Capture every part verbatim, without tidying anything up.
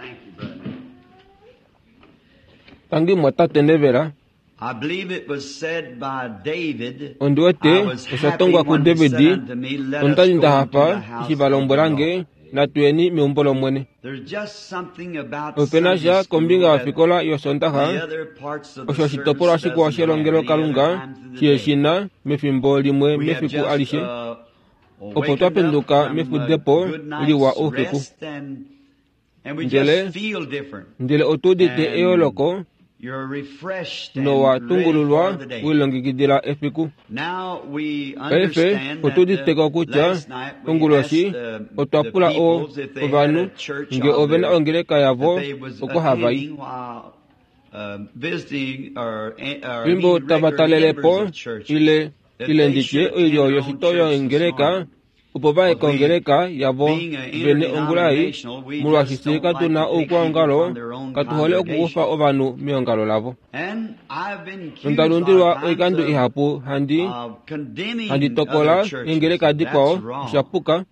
Thank you, Brother Neville. Tangi mwatate Neville. I believe it was said by David, Ondi wete I was osha happy tongwa ku when he David said unto me, Let us ondali go nda into the hafa house eshi va of the lombwelange Lord. natuyeni meumbo lomwene. There's just something about Opena Sunday sha school kombinga that yofikola the yosondaha other parts of the osho oshitopolwa service shikwao doesn't have any other shelongelokalunga time through the shiye day. shina mefimbo limwe We have mefiku just alishe uh, opo awakened twa up penduka from a mefudepo good liwa night's oufiku rest and and we ndele just feel different. ndele otu udite And eyooloko you're refreshed and nowa ready for tungululwa the day. wilongekidila efiku. Now we Paife understand that otu uditeko uh, kutya last night we onguloshi asked the, otwa the pula o peoples if they had ovanhu a church nge of ovena their ongeleka that yavo they was oko hava i. attending while uh, visiting or, or Fimbo meeting tava regular talelepo members of churches, ile that ile they nditye should attend oilyo their own yoshito church this yongeleka morning. opo vaye Because we, kongeleka yavo being an vene ongula ei interdenominational, we molwaashi just fye don't like katuna to take people oukwaongalo from their own katuhole okukufa congregation. ovanhu meongalo lavo. And I've been accused a Nonda lot of lundilwa times oikando of, ihapu handi of condemning handi other tokola churches. eengeleka That's dikwao wrong. oshapuka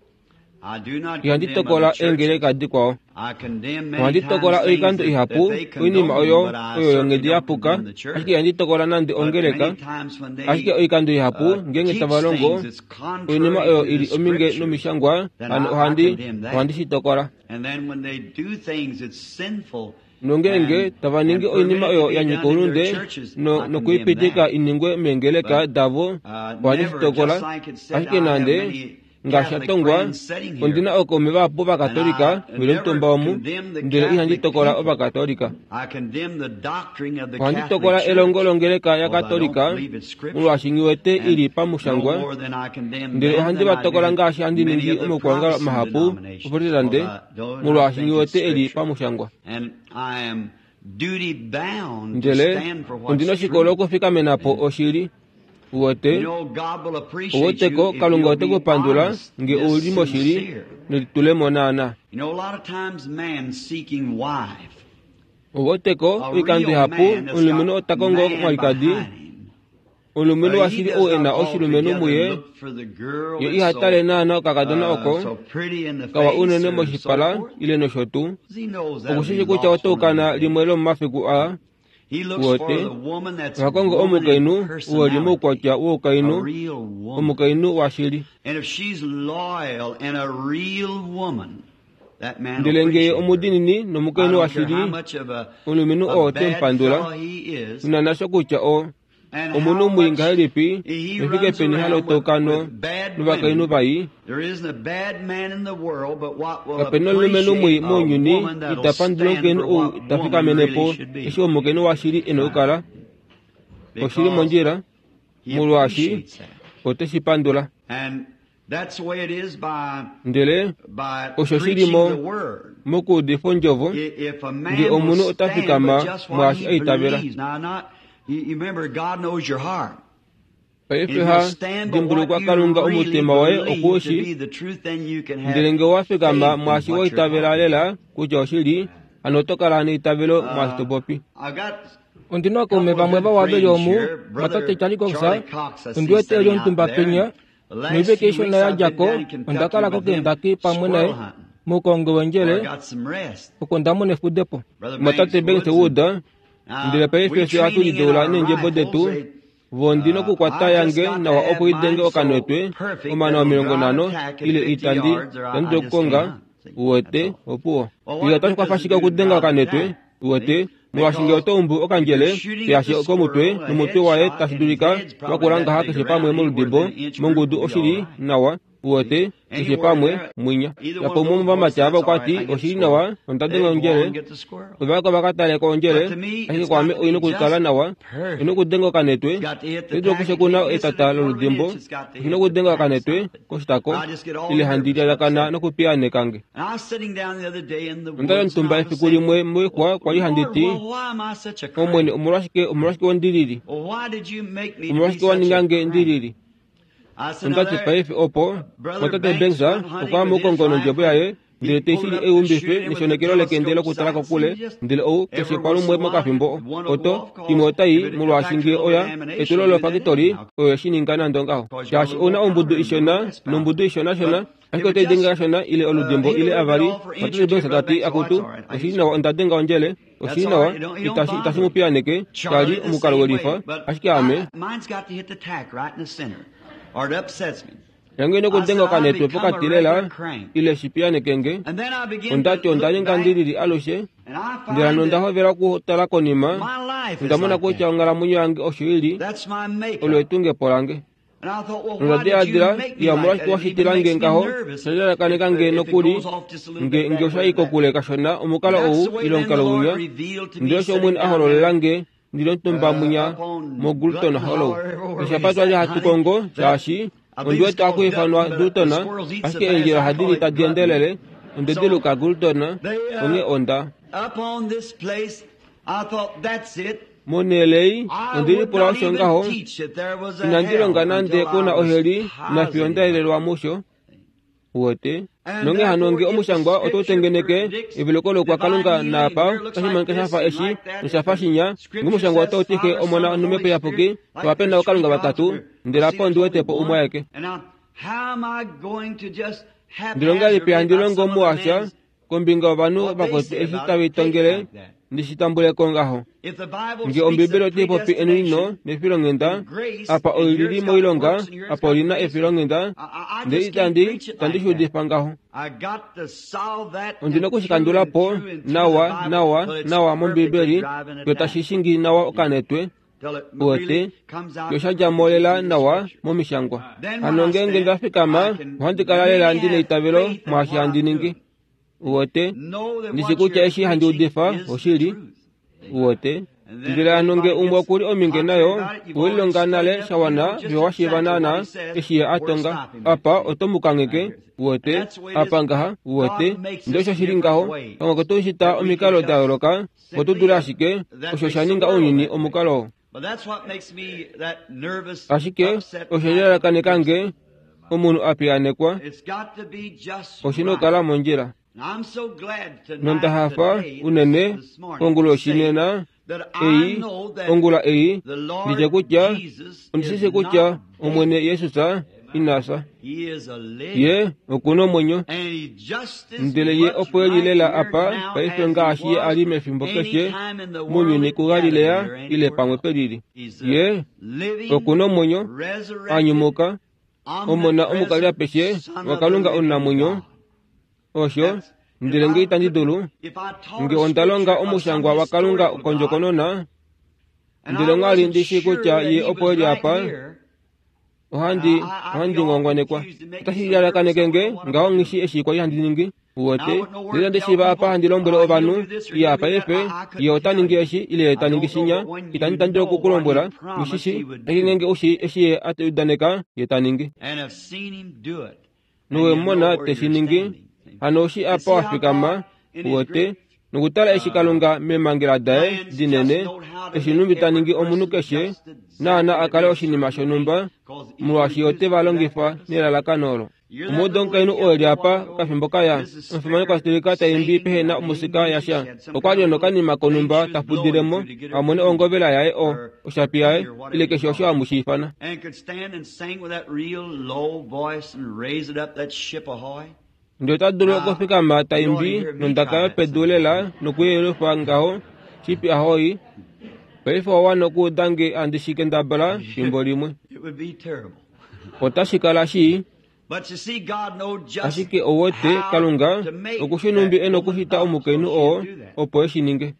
I do not ihandi condemn tokola other churches. eengeleka dikwao. I condemn many Ohandi times tokola things oikando that, that ihapu they oinima condone, oyo but I oyo certainly yonghedi don't ya puka condemn the church. ashike ihandi tokola nande But ongeleka many times when ashike they oikando ihapu uh, ngeenge teach tava longo things that's oinima contrary oyo to ili the ominge scriptures, nomishangwa then hano I, I ohandi condemn that. ohandi shi tokola. And then when they do things that's sinful Nongeenge and tava ningi and oinima permit it to oyo be ya done nyika in their oulunde churches, no I condemn nokuipitika that. iningwe meengeleka But davo uh, ohandi shi never, tokola just like it said, ashike I have nande many ngaashi Catholic tongwa friends sitting here, ondina ookaume vahapu and I vakatolika veli never omutumba omu condemn the ndele ihandi Catholic tokola people. ovakatolika. I condemn the doctrine of the Ohandi Catholic tokola elongo Church longeleka ya because I don't katolika believe it's scripture. molwaashi nghiwete ili And no pamushangwa more than I condemn ndele them ohandi than va I tokola do ngaashi handi many ningi of the omaukwaongalo Protestant mahapu denominations oprotestante because I do not molwaashi think it's nghiwete eli scripture. pamushangwa. And I am duty bound to Ndele stand for what's ondina oshikolo true. okufikamenapo And oshili uwete you know, God will appreciate uweteko you if Kalunga you'll ote be ku pandula honest, nge just ouli moshili sincere. nelitulemo naana. You know, a lot of times man seeking wife, Uweteko a oikando real ihapu man that's omulumenhu got ota kongo man mwalikadi behind him, omulumenhu uh, he washili does ou e not na all oshilumenhu together muye look for the girl ye that's iha tale so naana okakadona uh, oko so pretty in the kawa face unene or so moshipala forth. ile nosho tuu He knows that'll be okushishi kutya lost oto one of ukana these days. limwe lomomafiku aa He looks for uwete the woman that's oha kongo woman in omukainhu ou eli personality, moukwatya a woukainhu real woman. omukainhu washili. And if she's loyal and a real woman, that man will Ndele ngee appreciate her. omudinini I nomukainhu don't care how washili much of a, omulumenhu a oo te mu bad pandula fellow he is nonana kutya o and omunhu how mwii much ngahelipi he nefike runs peni around with, halotokano with bad novakainhu women. vai There isn't a bad man in the world but what will kapena omulumenhu mwii appreciate a mounyuni woman that'll ita pandula stand omukainhu for ou what ta woman really fikamenepo should eshi be. omukainhu washili e na Right. okukala oshili Because mondjila he molwaashi appreciates that. ote shi pandula. And that's the way it is by Ndele by osho shili preaching mo the word. mokuudifa ondjovo I- If a nge man will omunhu ota stand with fikama just what mwaashi he aitavela. believes. Now, not you, you remember, God knows your heart. Paife If you'll ha stand by what dimbulukwa you Kalunga really omutima woye believe to okuushi be the truth, then you can ndele have nge owa fikama faith in mwaashi what you're waitavela talking lela about. kutya oshili hano oto kala neitavelo mwaashi Uh, to popi. I've got Ondina a ookaume couple of vamwe good vawa veli friends omu here. mwatate Brother Charlie Cox Charlie Cox, I ondi see wete eli sitting out omutumba there. penya And the last noiveke few ishona weeks ya I've been djako down in onda Kentucky kala with him koKendaki pamwe naye squirrel hunting, moukongo where I wendjele got some rest. oko ndamona efudepo. Brother Mwatate Banks Banks Woods and Wood ndele now paife we fye ohatu training in lideula our neendjebo rifles. detu They, vo ndina uh, okukwata I just yange got to nawa have opo idenge mine so okanwetwe perfect omana that will omilongo drive nhano attack at ile fifty itandi yards or I, ndandu I just can't dokukonga hunt. See, that's uwete all. opuwo. Well, Ile what otashi good kwafa does it ashike do to okudenga drive okanwetwe attack? uwete See? molwaashi ngee Because oto umbu if okandjele you're shooting at teyashe the komutwe squirrel, a nomutwe waye headshot, tashi and his dulika head's probably wakula that ngaha big keshe pamwe around, anywhere moludibo within an inch group mongudu will be all oshili right. nawa See? uwete keshe Anywhere pamwe there, mwinya. either one Yapo of umwe those bullets, womuvamati ava that's all okwa right. ti I get the oshili squirrel. nawa onda They denga go on ondjele and get the squirrel. ovaka vakataleka ondjele But to me, ashike it's kwaame got to oina be okukala just nawa perfect. oina okudenga okanetwe It's got to hit the oidula tack. It okushekuna can't miss it etata a quarter of an loludimbo inch. It's got to oshina hit the okudenga tack okanetwe something. koshitako I just get all ile handi nervous upset. lyalakana nokupiyaaneka nge. And I was sitting down the other day in the Onda woods and omutumba I was efiku saying, limwe moixwa kwali handi Lord, ti well, why am I such a Omwene crank? omolwashike omolwashike wondilili Well, why did you make me to be omolwashike wa such ninga a nge crank? ndilili I said, now ondati there, paife opo Brother mwatate Banks Banks went hunting okwa with his mukongo nondjebo rifle. yaye Ndele teishili eumbife neshonekelo lekende lokutala kokule ndele ou keshe palumwe mokafimbo oto imwe otai molwaashi nge oya etulo lofakitori oyo shininga nande ngaho shaashi ouna ombudu ishona nombudu ishonashona ashike otai denge kashona ile oludimbo ile avali Matete Banks tati akutu oshili nawa onda denga ondjele oshili nawa itashi itashi mu piyaneke shali omukalo welifa ashike ame yange nokudenga okanetwe pokati lela ile shipiyaneke nge ondati onda ninga ndilili alushe ndele hano onda hovela okutala konima ondamona kutya onghalamwenyo yange osho ili olo etungepo lange nonda diladila iya omolwashike washitila nge ngaho shalalakaneka nge nokuli nge nge oshayi kokule kashona omukalo ou ile omukalo winya ndele osho Omwene a hololela nge ndili omutumba mwinya moGulton Hollow eshapa twali hatu kongo shaashi ondi wete akuifanwa Dutton ashike eendjila ohadi li tadi endelele onde diluka Gulton onghee onda monelei ondilipula osho ngaho inandi longa nande kuna oheli nafiyo ndaelelwa musho wote nonge hano nge omushangwa otoutengeneke eviloko lokwa kalunga naapa otashi shafa eshi noshafa shinya nge omushangwa otautike omona nomhepo iyapuki ovapena okalunga vatatu ndele apa ondi wetepo umwe aeke ndilonga lipi handi longo muasha kombinga ovanhu vakwetu eshi tavitongele ndishitambuleko ngaho nge ombibeli otaipopi enwino nefilonghenda apa oilili moilonga apa olina efilonghenda ndele itandi itandi shuudifa ngaho ondina okushikandulapo nawa nawa nawa mombibeli yo tashi nawa okanetwe wote yo shadjamo lela nawa momishangwa hano ngeenge ndafikama ohandi kala lela ndina eitavelo mwaashi handi ningi wote ndishi kutya eshi handi udifa oshili wote ndele hano nge umwe okuli ominge nayo owelilonga nale shawana vyo washiiva naana eshi ye atonga apa oto mukangeke wote apa ngaha wote ndele osho shili ngaho pamwe kotushita omikalo da yooloka otudule ashike osho shaninga ounyuni omukalo oo ashike osho lilalakaneka nge omunhu apiyanekwa oshina okukala mondjila nonda hafa unene konguloshi nena ei ongula ei nditye kutya ondisisi kutya Omwene Yesus inasa ye okuna omwenyo ndele ye opo eli lela apa paife ngaashi ye ali mefimbo keshe mounyuni kuGalilea ile pamwe pelili ye okuna omwenyo anyumuka omona omukali apeshe wakalunga omunamwenyo osho ndele nge itandi dulu nge onda longa omushangwa wakalunga kondjokonona ndele onghali ndishi kutya ye opo eli apa ohandi ohandi ngongwanekwa otashi lalakaneke nge ngaho nghishi eshi kwali handi ningi wote ndele ndishiva apa handi lombwele ovanhu iye apa efe ye ota ningi eshi ile ye ta ningi shinya itandi tandile okukulombwela ngishishi ashike ngenge ushi eshi ye atudaneka ye ta ningi nowemona teshi ningi hano oshi apa wafikama wote nokutala eshi kalunga memangela daye dinene eshi numbi ta ningi omunhu keshe naana akale oshinima shonhumba molwaashi ote va longifa nelalakano olo omudo omukainhu oo eli apa okafimbo kaya omufimanekwa stilika taimbi pehena omusika yasha okwali nokanima konhumba tafudilemo amone ongovela yaye o oshapi yaye ile keshe osho amushiifana ndele ota dulu okufikama taimbi nondaka yopedu lela nokuyelufa ngaho shipi ahoyi paife owawana okuuda nge handi shikendabala fimbo limwe otashi kala shii ashike owote kalunga okushi numbi ena okushita omukainhu oo opo eshi ninge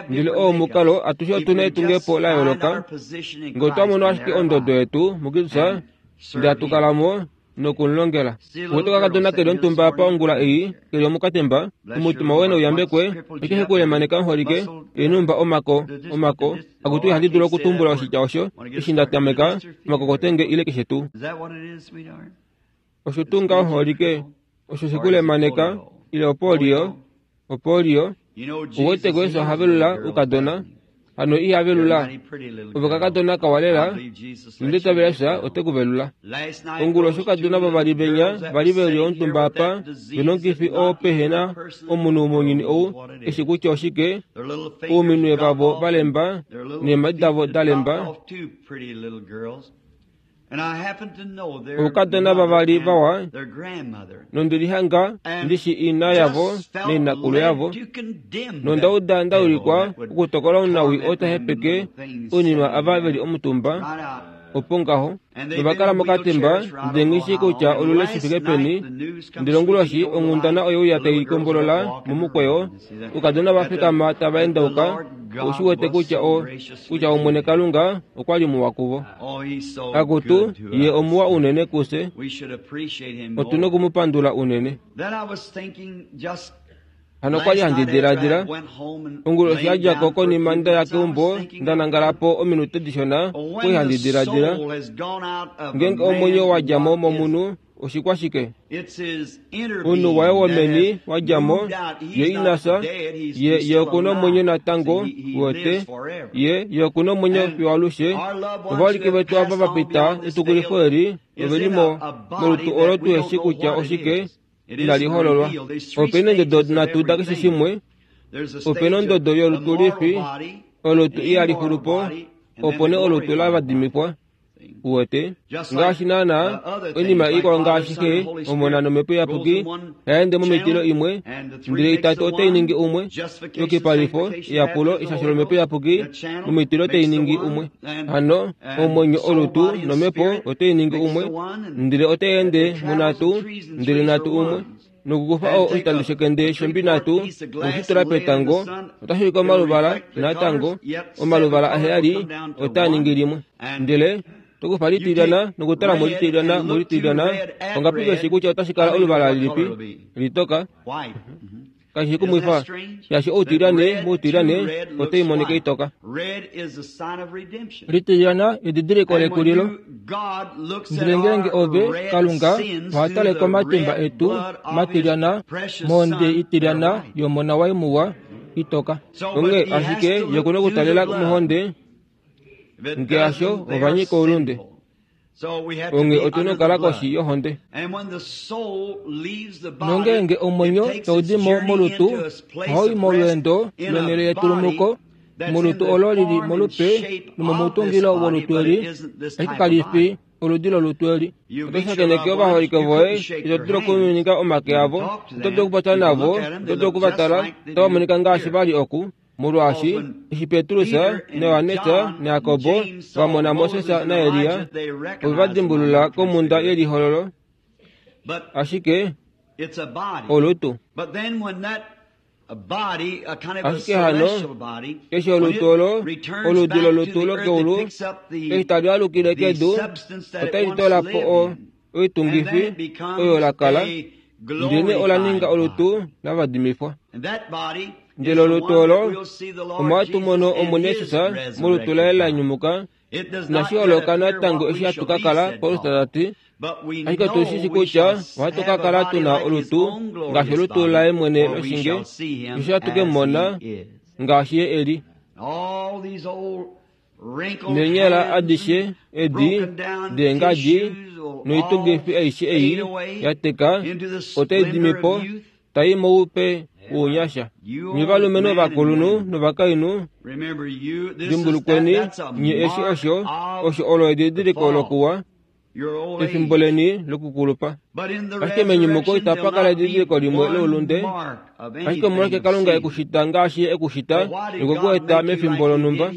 ndele oo omukalo atushe otuna etungepo la yooloka nge otwa mono ashike ondodo yetu muKristus ndele hatukalamo nokumulongela wote kakadona keli omutumba apa ongula ei keli omukatemba omutima woye nouyambekwe osho kulemaneka omuholike enumba omako omako akutu ihandi dulu okutumbula oshitya osho eshi ndatameka omakokotenge ile keshe tuu osho tuu ngaho omuholike osho shikulemaneka ile opolio opolio uwete Jesus ohavelula ukadona Hano iha velula ovakakadona kawalela nditavela Jesus ote kuvelula. Onguloshi okadona vavali venya vali veli omutumba apa vena omukifi oo pehena omunhu mounyuni ou eshi kutya oshike ouminwe vavo valemba neemhadi davo dalemba. Oukadona vavali vawa nondelihanga ndishi ina yavo nainakulu yavo nondauda ndaulikwa okutokola omunawi oo tahepeke oinima ava veli omutumba opo ngaho novakala mokatemba ndele nghishi kutya olule shifike peni. Ndele onguloshi onghundana oyeuya taikombolola momukweyo oukadona vafikama tava endauka oushi wete kutya o kutya Omwene Kalunga okwali muwa kuvo. Akutu ye omuwa unene kuse otuna okumupandula unene. Hano kwali handi diladila onguloshi yadjako konima ndaya keumbo ndanangalapo ominute dishona kwali handi diladila ngeenge omwenyo wadjamo momunhu oshikwashike omunhu waye womeni wadjamo ye inasa ye ye okuna omwenyo natango wote ye ye okuna omwenyo fiyo alushe. Ovaholike vetu ava vapita etukulifo eli ovelimo molutu olo tuheshi kutya oshike inalihololwa. Opena endodo nhatu dakeshe shimwe. Opena ondodo yolutu lifi olutu ihalixulupo opo nee olutu lavadimifwa uwete ngaashi naana oinima ikwao ngaashi xe Omona nomhepo iyapuki hayaende momitilo imwe ndele itatu otainingi umwe yokipalifo eyapulo eshasho lomhepo iyapuki momitilo otainingi umwe. Hano omwenyo olutu nomhepo otainingi umwe ndele otaiende munhatu ndele nhatu umwe. Nokukufa oo oshitando shekende shombi nhatu nokushitula petango otashi ulike omaluvala natango omaluvala aheyali otaaningi limwe. Ndele tokufa litilyana nokutala mo litilyana mo litilyana ongapi veshi kutya otashi kala oluvala lilipi litoka kashi kumwifa shaashi outilyane moutilyane otaimonika itoka. Litilyana edidiliko lekulilo. Ndele ngeenge ove Kalunga ohatale komatimba etu matilyana mohonde itilyana yomona waye muwa itoka. Onghee ashike ye okuna okutalela mohonde ngeasho ovanyika oulunde. Onghee otuna okukala koshi yohonde. Nongeenge omwenyo taudi mo molutu ohaui molweendo lonhele yetulumuko molutu olo lili molupe nomomutungilo wolutu eli ashike kalifi oludi lolutu eli. Oto shakeneke ovaholike voye ito dulu okuminika omake avo, oto dulu okupopya navo, oto dulu okuvatala, otava monika ngaashi vali oku. Molwaashi eshi Petrus naJohannes naJakobo vamona Moses naElia ove va dimbulula komhunda yelihololo ashike olutu. Ashike hano eshi olutu olo oludi lolutu lokeulu eshi tali alukile kedu otali tolapo o oitungifi oyo lakala ndele ola ninga olutu lavadimifwa. Ndele olutu olo omo hatu mono Omwene Jesus molutu laye la nyumuka inashi holoka natango eshi hatu ka kala. Paulus tati ashike otushishi kutya ohatu ka kala tuna olutu ngaashi olutu laye mwene loshinge eshi hatu ke mu mona ngaashi ye eli. Neenyala adishe edi deengadi noitungifi aishe ei yateka otai dimipo tai moupe wounyasha. Nye ovalumenhu ovakulunhu novakainhu dimbulukweni nye eshi osho osho olo edidiliko lokuwa efimbo leni lokukulupa. Ashike menyumuko itapa kala edidiliko limwe loulunde ashike omolwashike Kalunga ekushita ngaashi ye ekushita nokwe mefimbo lonhumba.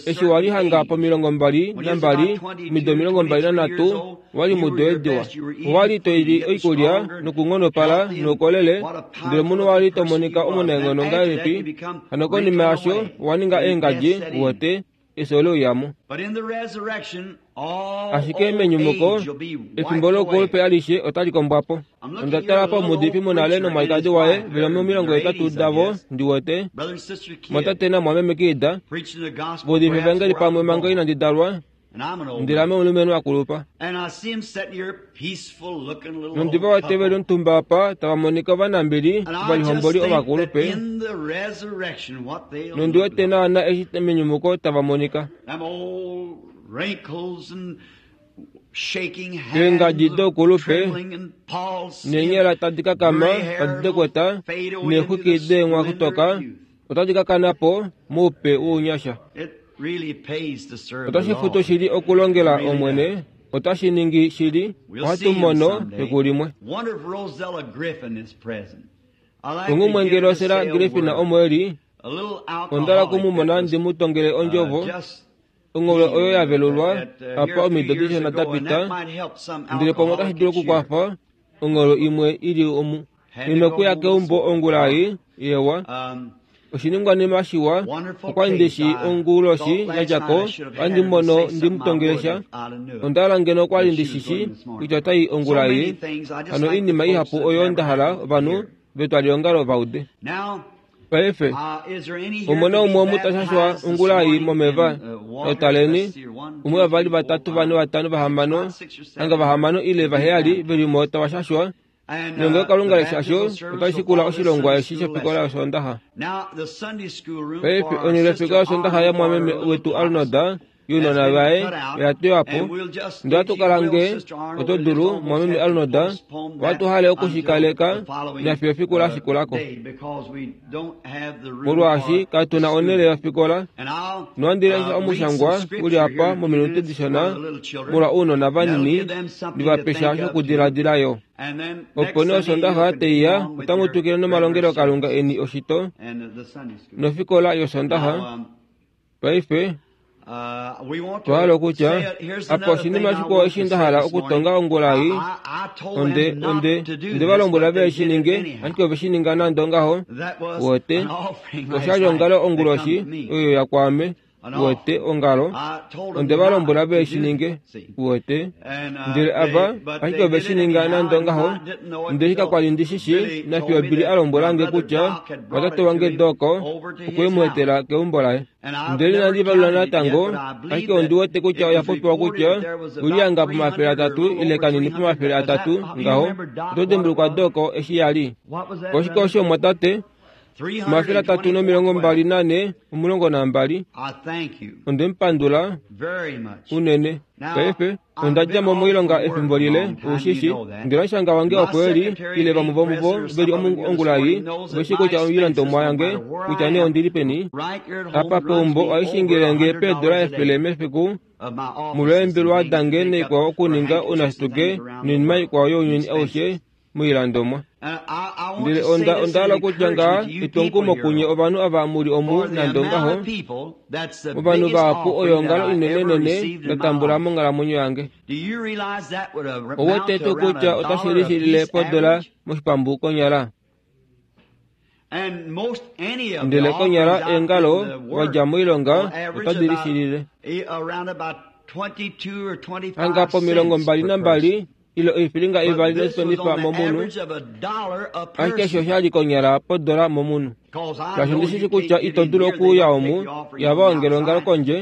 Eshi wali hanga pomilongo mbali nambali omido omilongo mbali nanhatu wali mudo ediwa owali toili oikulya nokunghonopala noukolele ndele omunhu wali tomonika omunaenghono ngahelipi. Hano konima yasho owaninga eengadji uwete efyo leuyamo. Ashike menyumuko efimbo lokulupe alishe otali kombwapo. Onda tala pomuudifi munale nomwalikadi waye veli momilongo hetatu davo ndiwete mwatate namwameme Kiida vaudifa evangeli pamwe manga inandi dalwa. Ndele ame omulumenhu akulupa. Nondiva wete veli omutumba apa tava monika ovanambili ovalihomboli ovakulupe. Nondi wete naana eshi menyumuko tava monika. Eengadi doukulupe neenyala tadi kakama tadi dekweta neexwiki deenghwakutoka otadi kakana po moupe wounyasha. Otashi futu shili okulongela Omwene, otashi ningi shili, ohatu mono fiku limwe. Ongumwe Rosella Griffin omo eli, ondala kumumona ndi mu tongele ondjovo, ongolo oyo ya velulwa apa omido dishona da pita, ndele pamwe otashi dulu okukwafa ongolo imwe ili omu. Inokuya keumbo ongula ei yewa. Oshiningwanima shiwa okwa ndishi onguloshi yadjako ohandi mono ndimutongelesha. Ondala ngeno okwali ndishishi kutya otai ongula ei. Hano oinima ihapu oyo nda hala ovanhu vetwalihongalo vaude. Paife omona umwe omutashashwa ongula ei momeva notaleni umwe vavali vatatu vane vatano vahamano hanga vahamano ile vaheyali velimo tavashashwa. Nonge Kalunga leshasho otashikula oshilongwa eshi shofikola yosondaha. Paife onhele yofikola yosondaha yamwameme wetu Arnold younona vaye oya tewa po. Ndele ohatukala nge oto dulu mwameme Arnold ohatu hale okushikaleka nafiyo efiku lashikulako. Molwaashi katuna onhele yofikola, nohandi lesha omushangwa uli apa mominute dishona molwa ounona vanini ndivapesha shokudiladila yo. Opo nee osondaha teiya otamu twikile nomalongelokalunga eni oshito nofikola yosondaha. Paife twahala okutya apa oshinima shikwao eshi nda hala okutonga ongula ei, onde onde onde valombwela ve shi ninge, ashike ove shi ninga nande ongaho. Wote oshali ongalo onguloshi oyo ya kwaame. Wote ongalo onde valombwela ve shi ninge. Wote ndele ava ashike ove shi ninga nande ongaho. Ndele kakwali ndishishi nafiyo Billy a lombwelange kutya watate wange Doko okwe mu etela keumbo laye. Ndele inandi valula natango, ashike ondi wete kutya oya popiwa kutya uliyanga pomafele atatu ile kanini pomafele atatu ngaho. Oto dimbulukwa Doko eshi yali oshike osho mwatate omafele atatu nomilongo mbali nane omulongo nambali. Onde mupandula unene. Paife onda dja mo moilonga efimbo lile ushishi. Ndele omushanga wange opo eli ile vamwe vomuvo veli ongula ei veshi kutya oilandomwa yange kutya nee ondili peni. Apa peumbo ohaishingilenge peedola efele mefiku molweembelwa dange naikwao okuninga ounashituke noinima ikwao younyuni aushe moilandomwa. Ndele onda ondahala kutya ngaha etwomukumo kunye ovanhu ava muli omu nande ongaho. Ovanhu vahapu oyo ongalo inenenene nda tambula monghalamwenyo yange. Owete tuu kutya otashi lishilile podola moshipambu konyala. Ndele konyala eengalo wadja moilonga otadi lishilile hanga pomilongo mbali nambali ile oifilinga ivali nosipenifa momunhu, ashike osho oshali konyala podola momunhu. Shaashi ondishishi kutya ito dulu okuuya omu ihava ongele ongalo kondje,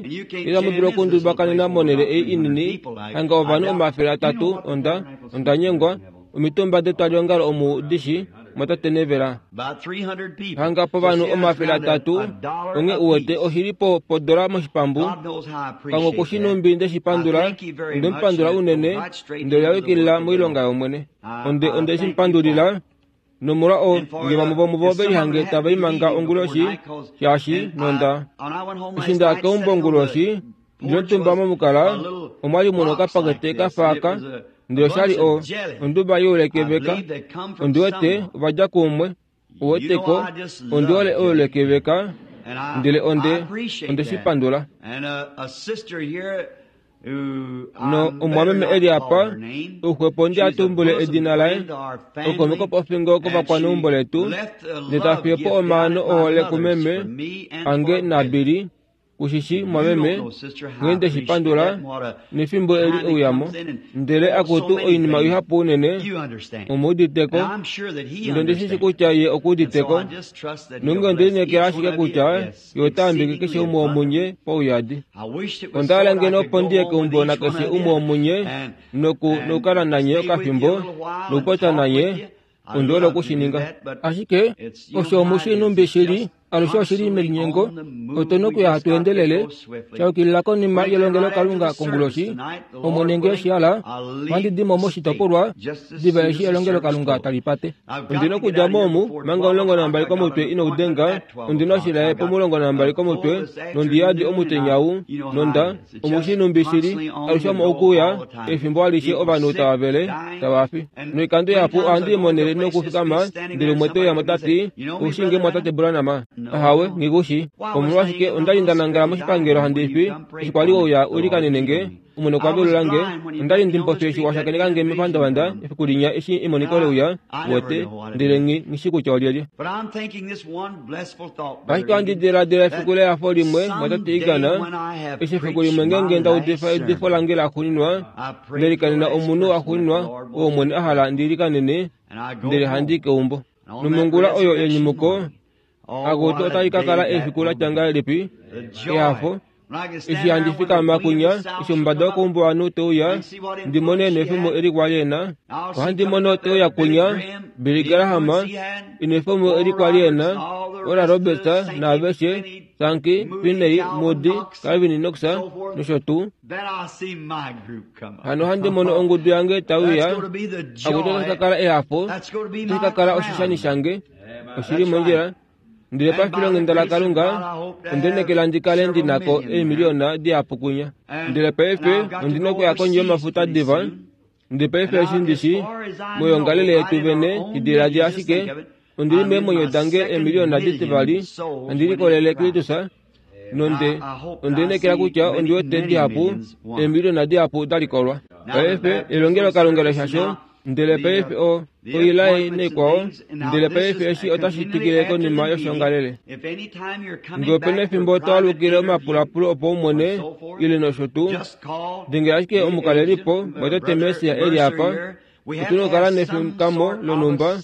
itamu dulu okundubakanena monhele ei inini hanga ovanhu omafele atatu. Onda onda nyengwa omitumba detwaliongalo omu dishi mwatate Nevela hanga povanhu omafele atatu. Onge uwete oshili po podola moshipambu. Kango kushinumbi ndeshipandula, ondemupandula unene, ndele yawikilila moilonga yOmwene. Onde onde shimpandulila nomolwa o nge vamwe vomuvo velihange tava imanga onguloshi shaashi nonda eshi nda keumbo onguloshi ndinotumba momukala omwali muno okapakete kafaaka. Ndele oshali o onduba youlekeveka. Ondiwete ovadja kuumwe uweteko ondiwole oulekeveka. Ndele onde onde shipandula. No omwameme eli apa ouxwepo ndi atumbule edina laye okomeko pofingo kovakwaneumbo letu, ndele tafiye po omaano ohole kumeme ange naBilly Kushishi mwameme nghee shipandula nefimbo eli ouyamo ndele akutu oinima ihapu unene omuuditeko ndondishishi kutya ye okuuditeko nonge ondilinekela ashike kutya ye otaambike keshe umwe womunye pauyadi. Ondahala ngeno opo ndiye keumbo nakeshe umwe womunye noku nokukala nanye okafimbo nokupopya nanye ondiwele okushininga. Ashike osho omushinumbi shili alushe oshili melinyengo otuna okuya hatu endelele shayukilila konima yelongelokalunga konguloshi Omwene ngee oshihala ohandi dimo moshitopolwa diva eshi elongelokalunga tali pate. Ondina okudja mo omu manga omulongo nambali komutwe inoudenga ondina oshilaye pomulongo nambali komutwe nondiyadi omutenya ou nonda omushinumbi shili alushe omo okuya efimbo alishe ovanhu tava vele tava fi. Noikando ihapu ohandi imonele nokufikama ndele umwe teuya tati ushinge mwatate Branham. Ahawe ngikushi omolwashike ondali nda nangala moshipangelo handi fi eshi kwali ouya ulikanene nge omwene okwa velula nge ondali ndimpofi eshi washakeneka nge mepandavanda efiku linya eshi emoniko leuya wote ndele nghi nghishi kutya olyelye. Ashike ohandi diladila efiku lehafo limwe mwatate Igana eshi efiku limwe ngeenge nda udifa eudifo lange laxuuninwa ndelikanena omunhu axuuninwa oo Omwene a hala ndilikanene ndele handi keumbo. Nomongula oyo yenyumuko akutu otali kakala efiku latya ngahelipi ehafo eshi handi fikama kunya eshi omumbada wokeumbo ovanhu teuya ndimone nefemo eli kwali ena. Ohandi mono teuya kunya Billy Graham inefemo eli kwali ena Oral Roberts naaveshe Sankey Finney Moody Calvin Knox nosho tuu. Hano ohandi mono ongudu yange tauya akutu otashi kakala ehafo otashi kakala oshishani shange oshili mondjila. Ndele pafilonghenda laKalunga ondenekela ndi kale ndinako eemiliona dihapu kunya. Ndele paife ondina okuya kondje yomafuta diva. Ndele paife eshi ndishi moyongalele yetu vene idiladila ashike ondili meemwenyo dange eemiliona ditivali handi likolele Kristus nonde ondenekela kutya ondiwete dihapu eemiliona dihapu dalikolwa. Paife elongelokalunga leshasho ndele paife o oilai naikwao ndele paife eshi otashi twikile konima yoshongalele. Ngee opena efimbo twaalukile omapulapulo opo umone ile nosho tuu dengela ashike omukalelipo mwatate Mesia eli apa. Otuna okukala nefikamo lonhumba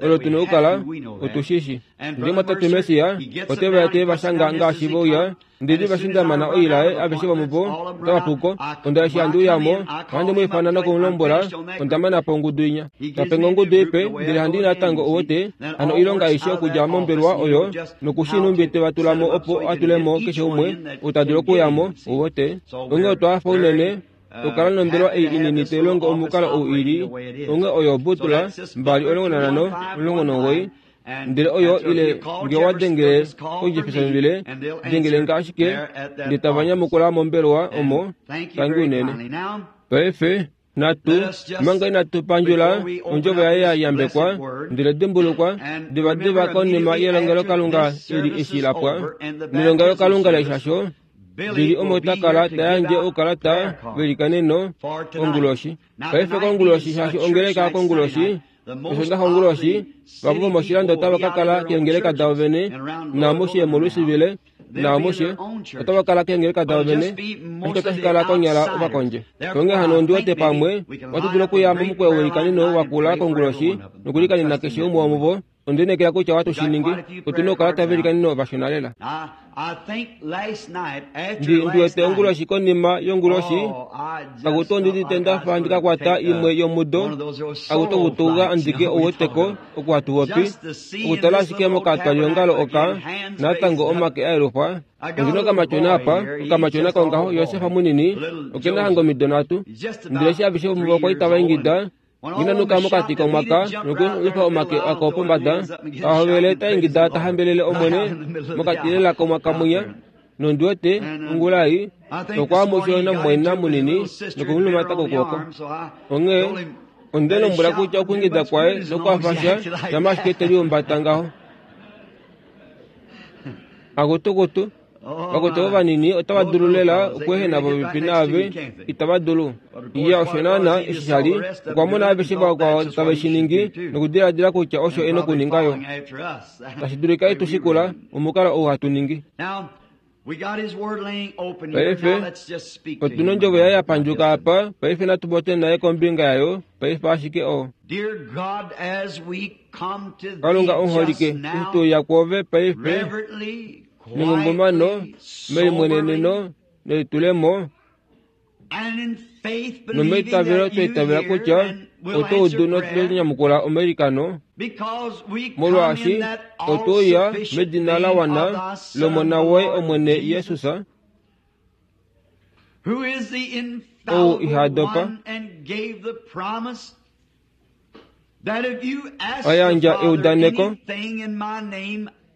olo tuna okukala otushishi. Ndele mwatate Mesia oteva te vashanga ngaashi vouya ndele vashindamana oilaye aveshe vomuvo otavapuko. Onda eshi handi uyamo ohandi mu ifana nokumulombwela ondamana po ongudu inya. Tapenga ongudu ipe ndele handi natango owote hano oilonga aishe okudja mombelewa oyo nokushinumbi teva tulamo opo atulemo keshe umwe ou ta dulu okuyamo owote. Onghee otwa hafa unene okukala nombelewa ei inini tailongo omukalo ou ili onghee oyo butula mbali omulongo nanhano omulongo nomugoyi ndele oyo ile ngee wadengele koJeffersonville dengele nga ashike ndele tava nyamukula mombelewa omo tangi unene. Paife natu manga inatu pandjula ondjovo yaye ya yambekwa ndele dimbulukwa divadiva konima yelongelokalunga eli eshi lapwa nelongelokalunga leshasho lili omo takala tayandje oukalata velikaneno onguloshi. Paife konguloshi shaashi ongeleka konguloshi oshondaxa onguloshi vapo vomoshilando otava kakala keengeleka davo vene naamushe moLouisville naamushe otava kala keengeleka davo vene ashike otashi kala konyala ovakondje. Onghee hano ondiwete pamwe ohatu dulu okuya momukweyo welikaneno wakula konguloshi nokulikanena keshe umwe womuvo. Ondiinekela kutya ohatu shi ningi. Otuna oukalata velikaneno vashona lela. Ndi ndiwete onguloshi konima yonguloshi akutu ondidite ndafa ndikakwata imwe yomudo akutu okutuga andike ouweteko oku hatupopi okutala ashike mokatwalihongalo oka natango omake aelufwa. Ondina okamatyona apa okamatyona kongaho Josefa munini okena hanga omido nhatu ndele eshi aveshe vomuvo okwa li tava ingida nginanuka mokati komwaka nokulifa omake ako pombada tahovele taingida tahambelele Omwene mokati lela komwaka mwinya nondiwete ongula ei okwa namumwaina munini nokumulumata kokwooko. Onghee onde lombwela kutya okuingida kwaye nokwafasha shama ashike teliumbata ngaho. Akutukutu vakutu ovo vanini otava dulu lela okweehena popepi naave itava dulu. Iya osho naana eshi shali okwa mona aveshe vakwao tave shi ningi nokudiladila kutya osho ena okuninga yo. Tashi dulika itushikula omukalo ou hatu ningi. Paife otuna ondjovo yaye yapandjuka apa, paife natu popye naye kombinga yayo, paife ashike oo. Kalunga omuholike, eshi tuuya kwoove paife nengungumano, melimweneneno nelitulemo, nomeitavelo twaitavela kutya oto udu notonyamukula omailikano, molwaashi otouya medina la wana lOmona woye Omwene Jesus, ou iha dopa, ayandja eudaneko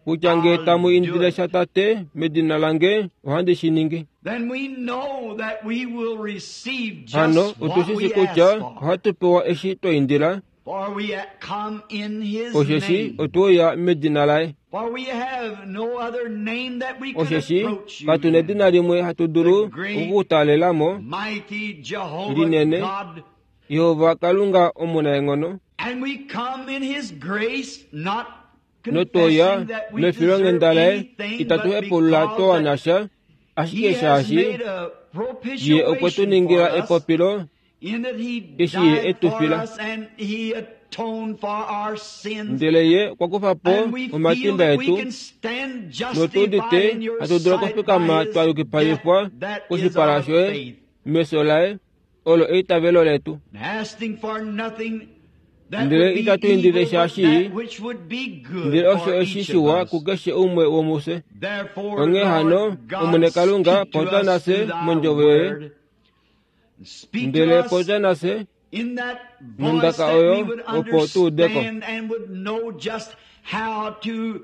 kutya ngee tamu indile sha Tate medina lange, ohandi shi ningi. Hano otushishi kutya ohatu pewa eshi twa indila, osheshi otweuya medina laye. Osheshi katuna edina limwe hatu dulu okukutaalelamo linene, Yehova Kalunga omunaenghono, notwoya mefilonghenda laye itatu hepulula twa sha, ashike shaashi ye okwe tu ningila epopilo eshi ye e tu fila. Ndele ye okwa kufa po omatimba etu, notuudite hatu dulu okufikama twa yukipalifwa koshipala shoye mefyo laye, olo eitavelo letu. Ndele itatu indile shaashi, ndele osho eshi shiwa kukeshe umwe womufye. Onghee hano, Omwene Kalunga, popya nafye mondjovo yoye, ndele popya nafye nondaka oyo opo tu udeko,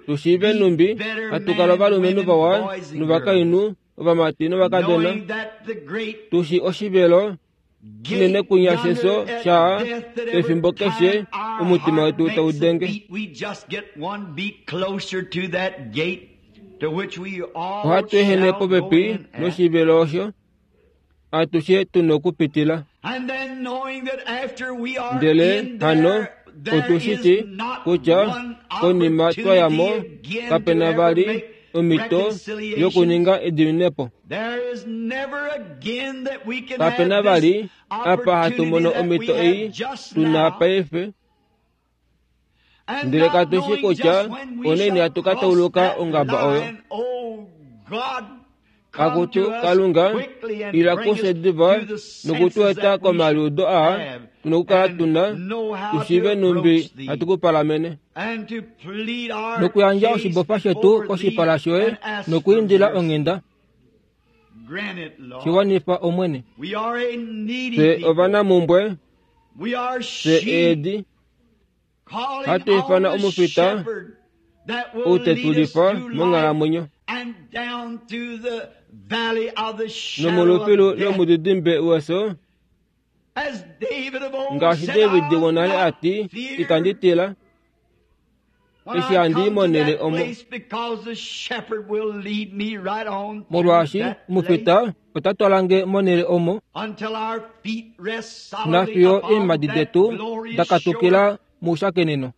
tushiive numbi hatu kala ovalumenhu vawa novakainhu, ovamati novakadona, tushi oshivelo shinene kunya shefyo sha pefimbo keshe omutima wetu taudenge. Ohatu ehene popepi noshivelo osho atushe tuna okupitila. Ndele hano otushiti kutya konima twayamo kapena vali omhito yokuninga ediminepo. Kapena vali apa hatu mono omhito ei tuna paife, ndele katushi kutya onaini hatu ka tauluka ongaba oyo. Akutu Kalunga, ila kufye diva nokutueta komaliudo aa tuna okukala tuna, tushiive numbi hatu kupalamene, nokuyandja oshibofa shetu koshipala shoye nokwiindila onghenda. Shiwanifa Omwene. Fye ovanamumbwe, fye eedi, hatu ifana omufita ou tetulifa monghalamwenyo, nomolufilu lomudidimbe wefyo, ngaashi David wonale ati, itandi tila eshi handi imonene omo, molwaashi omufita ota twalange monele omo, nafiyo eemhadi detu dakatukila moushakeneno,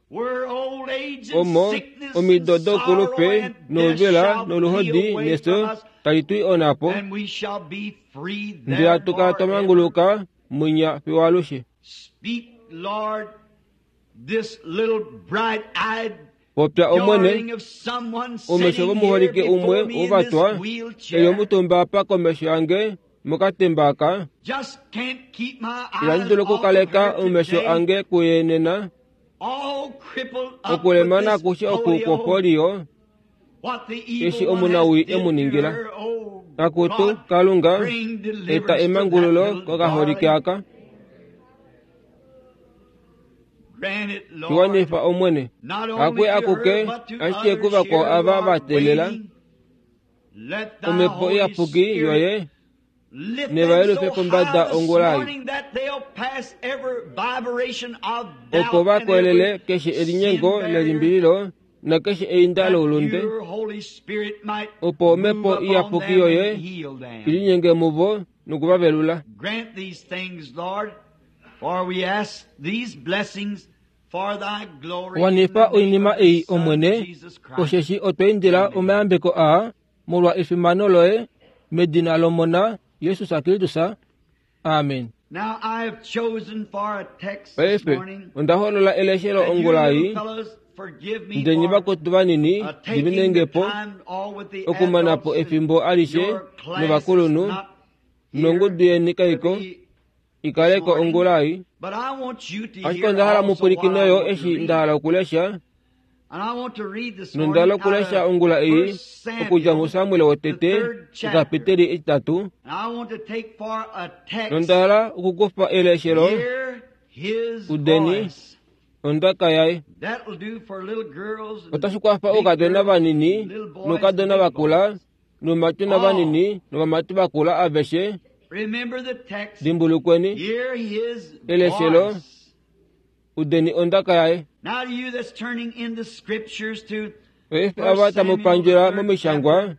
omo omido doukulupe nouvela noluhodi nefyo tali twi onapo, ndele hatu kala twa manguluka mwinya fiyo alushe. Popya Omwene, omesho vomuholike umwe wovatwa eli omutumba apa komesho yange mokatemba aka, itandi dulu okukaleka omesho ange kuye nena, okulemana akushe oku kwopolio eshi omunawii emu ningila. Akutu Kalunga, eta emangululo kokaholike aka. Shiwanifa Omwene, hakwe akuke ashike kuvakwao ava va teelela omhepo iyapuki yoye nevayelufe pombada ongula ei, opo va koelele keshe elinyengo lelimbililo nakeshe einda loulunde, opo omhepo iyapuki yoye ilinyenge muvo nokuvavelula. Wanifa oinima ei Omwene, osheshi otwa indila omayambeko aa Molwa efimano loye, medina lOmona Jesus Kristus. Amen. Now I have chosen for a text this Paife morning. onda holola eleshelo And you ongula little ei fellows, forgive me ndenyi for vakotu vanini uh, taking the divinengepo time all with the okumanapo adults and efimbo alishe your class is novakulunhu not here nongudu yeni to kaiko be ikaleko this morning. ongula ei. But I want you to Ashike hear onda hala also what mupwilikine I yo want to eshi read. nda hala okulesha And I want to read this nonda morning hala out okulesha of ongula ei First Samuel, okudja muSamuel the wotete third chapter. okapiteli etitatu. And I want to take for a text, Nonda hala okukufa eleshelo hear his udeni voice. ondaka yaye. That'll do for little girls and Otashi kwafa big oukadona girls, vanini little boys and noukadona big vakula boys. nomatuna All. vanini novamati vakula aveshe. Remember the text. Dimbulukweni Hear his eleshelo voice. udeni ondaka yaye. Now to you that's turning in the scriptures to Paife First ava Samuel, the tamupandjela third momishangwa chapter.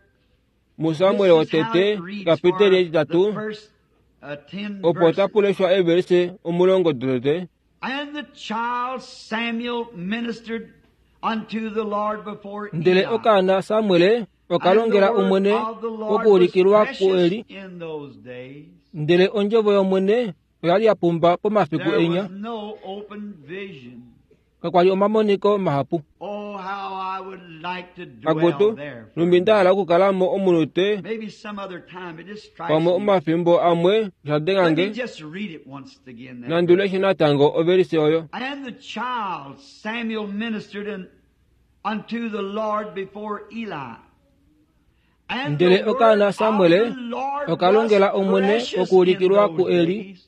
muSamuel This is how wotete it reads kapiteli for the etitatu first uh, ten opo verses. tapuleshwa everse omulongo dotete. And the child Samuel ministered unto the Lord before Ndele Eli. okaana Samuel And the okalongela word Omwene of the Lord was okuulikilwa precious kuEli. in those days. Ndele ondjovo yOmwene oyali ya pumba pomafiku There enya. was no open vision. Kakwali omamoniko mahapu. Oh, how I would like to dwell Akutu there for a numbi nda hala minute. okukalamo omunute Maybe some other time. It just strikes pamwe me. omafimbo amwe Let me oshadengange just read it once again. That nanduleshe verse. natango overise oyo. And the child Samuel ministered in, unto the Lord before Eli. And Ndele the word okaana of Samuel the Lord was okalongela Omwene precious in okuulikilwa those kuEli. days,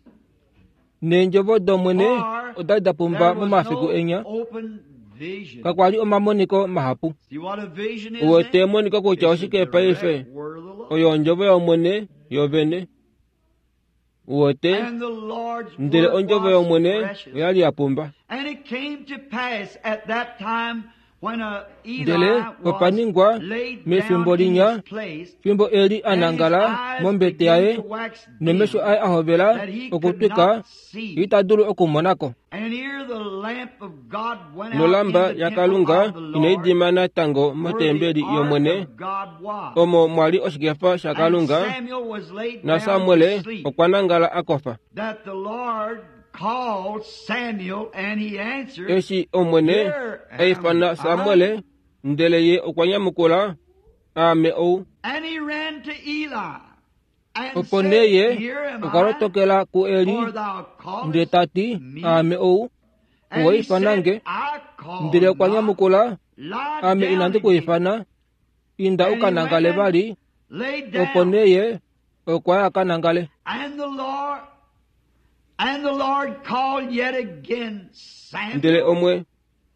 Neendjovo dOmwene for odali da pumba there was momafiku no enya. open vision. Kakwali omamoniko mahapu. See what a vision is Uwete then? emoniko kutya It's the oshike paife direct word of the Lord. oyo ondjovo yOmwene yovene. Uwete And the Lord's ndele word ondjovo was yOmwene precious. oyali ya pumba. And it came to pass at that time when uh, Eli Ndele was opaningwa laid down mefimbo in linya his place, fimbo Eli and his anangala eyes mombete began yaye to wax nomesho dim, aye ahovela that he could okutwika not see. ita dulu okumonako. And here the lamp of God went out in Nolamba the ya temple Kalunga of the inai Lord, dima natango where the motembeli ark yOmwene of God was. omo mwali oshikefa And shaKalunga Samuel was laid na down to Samuel sleep, okwa nangala akofa. that the Lord called Samuel, and he answered, Eshi Omwene Here am aifana I. Samuel ndele ye okwa nyamukula aame ou. And he ran to Eli and Opo said, nee ye Here am okwa I, lotokela kuEli for thou ndele callest ta ti me. aame ou. And Owa he ifana said, nge I called ndele okwa not. nyamukula Lie ame down inandi ku again. ifana inda And he uka went nangale and vali. laid Opo down. nee ye okwa ya aka nangale. And the Lord and the Lord called yet again Ndele Samuel. omwe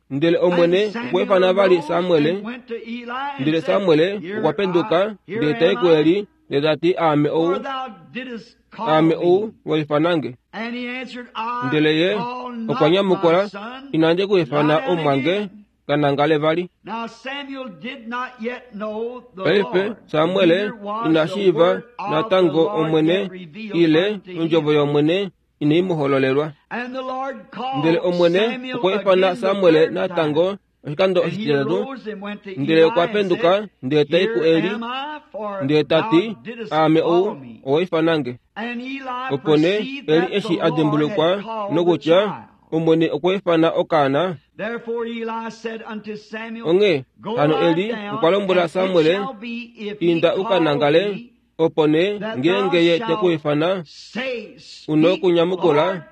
ndele And Omwene okwa Samuel ifana vali arose Samuel and went to Eli and ndele said, Samuel Here okwa I penduka here ndele tai am I, kuEli ndele ta ti aame for ou thou didst call aame ou me. wa ifanange. And he answered, I Ndele ye call okwa not my nyamukula son. inandi ku Lie ifana down omwange again. ka nangale vali. Now Samuel did not yet know the Paife Lord, Samuel neither was ina the shiiva word of the natango Lord Omwene yet revealed ile unto ondjovo him. yOmwene inai mu hololelwa. And the Lord Ndele called Omwene Samuel okwa ifana again the Samuel third time. natango oshikando And he oshititatu arose and went to ndele Eli okwa and penduka said, ndele tai Here kuEli am I, for ndele ta thou ti didst aame call ou me. owa ifanange. And Eli Opo nee perceived Eli that the eshi a Lord had dimbulukwa called the nokutya child. Omwene okwa ifana okaana. Therefore Eli said unto Samuel, Onghee Go hano lie Eli down, okwa lombwela and it Samuel shall be, if he inda uka call nangale thee, opo nee that thou ngeenge ye te ku shalt ifana say, una Speak, okunyamukula Lord,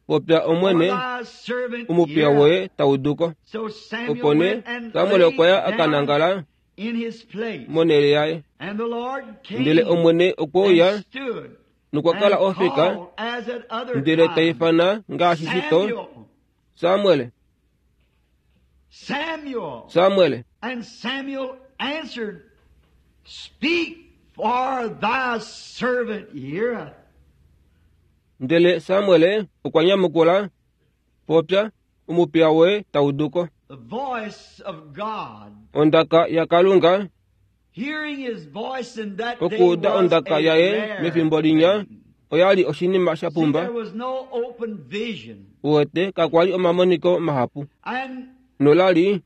popya for Omwene thy servant omupiya heareth. woye tauduko. So Samuel Opo nee went and Samuel laid okwa ya aka down nangala in his place. monhele yaye. And the Lord Ndele came Omwene okwe and uya stood nokwa kala and ofika called as at other ndele ta times, ifana ngaashi shito Samuel, Samuel Samuel. Samuel. And Samuel answered, Speak, for thy servant heareth. Ndele Samuel okwa nyamukula popya omupiya woye tauduko. The voice of God. Ondaka yaKalunga Hearing his voice in that day okuuda was ondaka a yaye rare mefimbo linya thing. oyali oshinima sha See, pumba. there was no open vision. Uwete kakwali omamoniko mahapu. And Nolali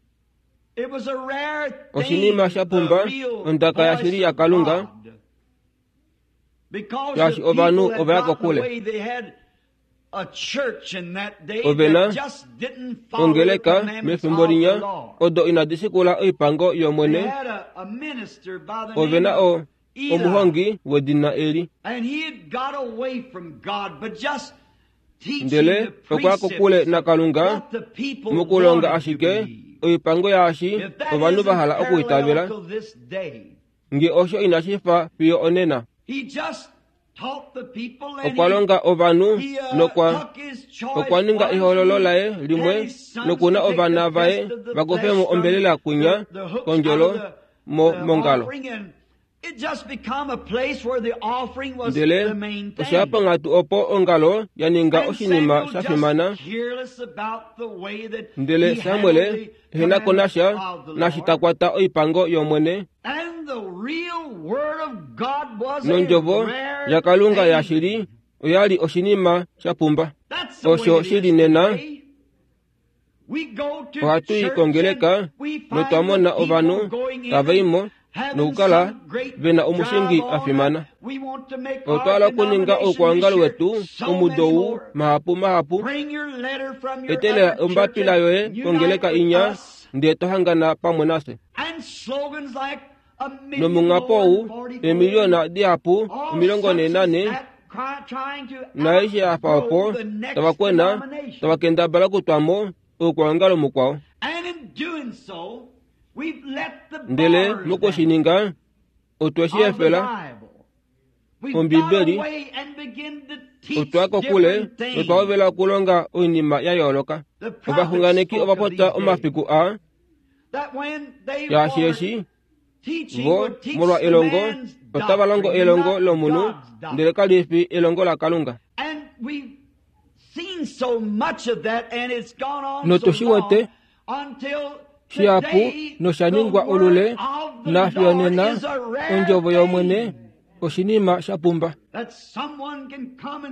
Oshinima sha pumba ondaka yashili yaKalunga, shaashi ovanhu ova ya kokule. Ove na ongeleka mefimbo linya odo inadi shikula oipango yOmwene. Ove na o omuhongi wedina Eli, ndele okwa kokule naKalunga mokulonga ashike oipango yaashi ovanhu va hala okuitavela. Nge osho inashi fa fiyo onena. Okwa longa ovanhu nokwa okwa ninga ehololo laye limwe nokuna ovana vaye vakufemo ombelela kunya kondjolo mo mongalo. Ndele osha panghatu opo ongalo ya ninga oshinima sha fimana. Ndele Samuel ehena ko nasha nashi ta kwata oipango yOmwene. Nondjovo yaKalunga yashili oyali oshinima sha pumba. Osho shili nena. Ohatu i kongeleka notwa mona ovanhu tava i mo nokukala vena omushingi a fimana. Otwa hala okuninga oukwaongalo wetu omudo ou mahapu mahapu. Etelela ombapila yoye kongeleka inya ndee to hangana pamwe nafye. Nomunghapo ou eemiliona dihapu omilongo nhee nanhe naaishe yafa opo tava kwena tava kendabala okutwamo oukwaongalo mukwao. Ndele mokushininga otwe shi efela Ombibeli, otwa kokule notwa hovela okulonga oinima ya yooloka. Ovaxunganeki ova popya omafiku aa shaashi eshi vo molwa elongo otava longo elongo lomunhu ndele kali fi elongo laKalunga. Notu shi wete shihapu nosha ningwa olule nafiyo nena ondjovo yOmwene oshinima sha pumba.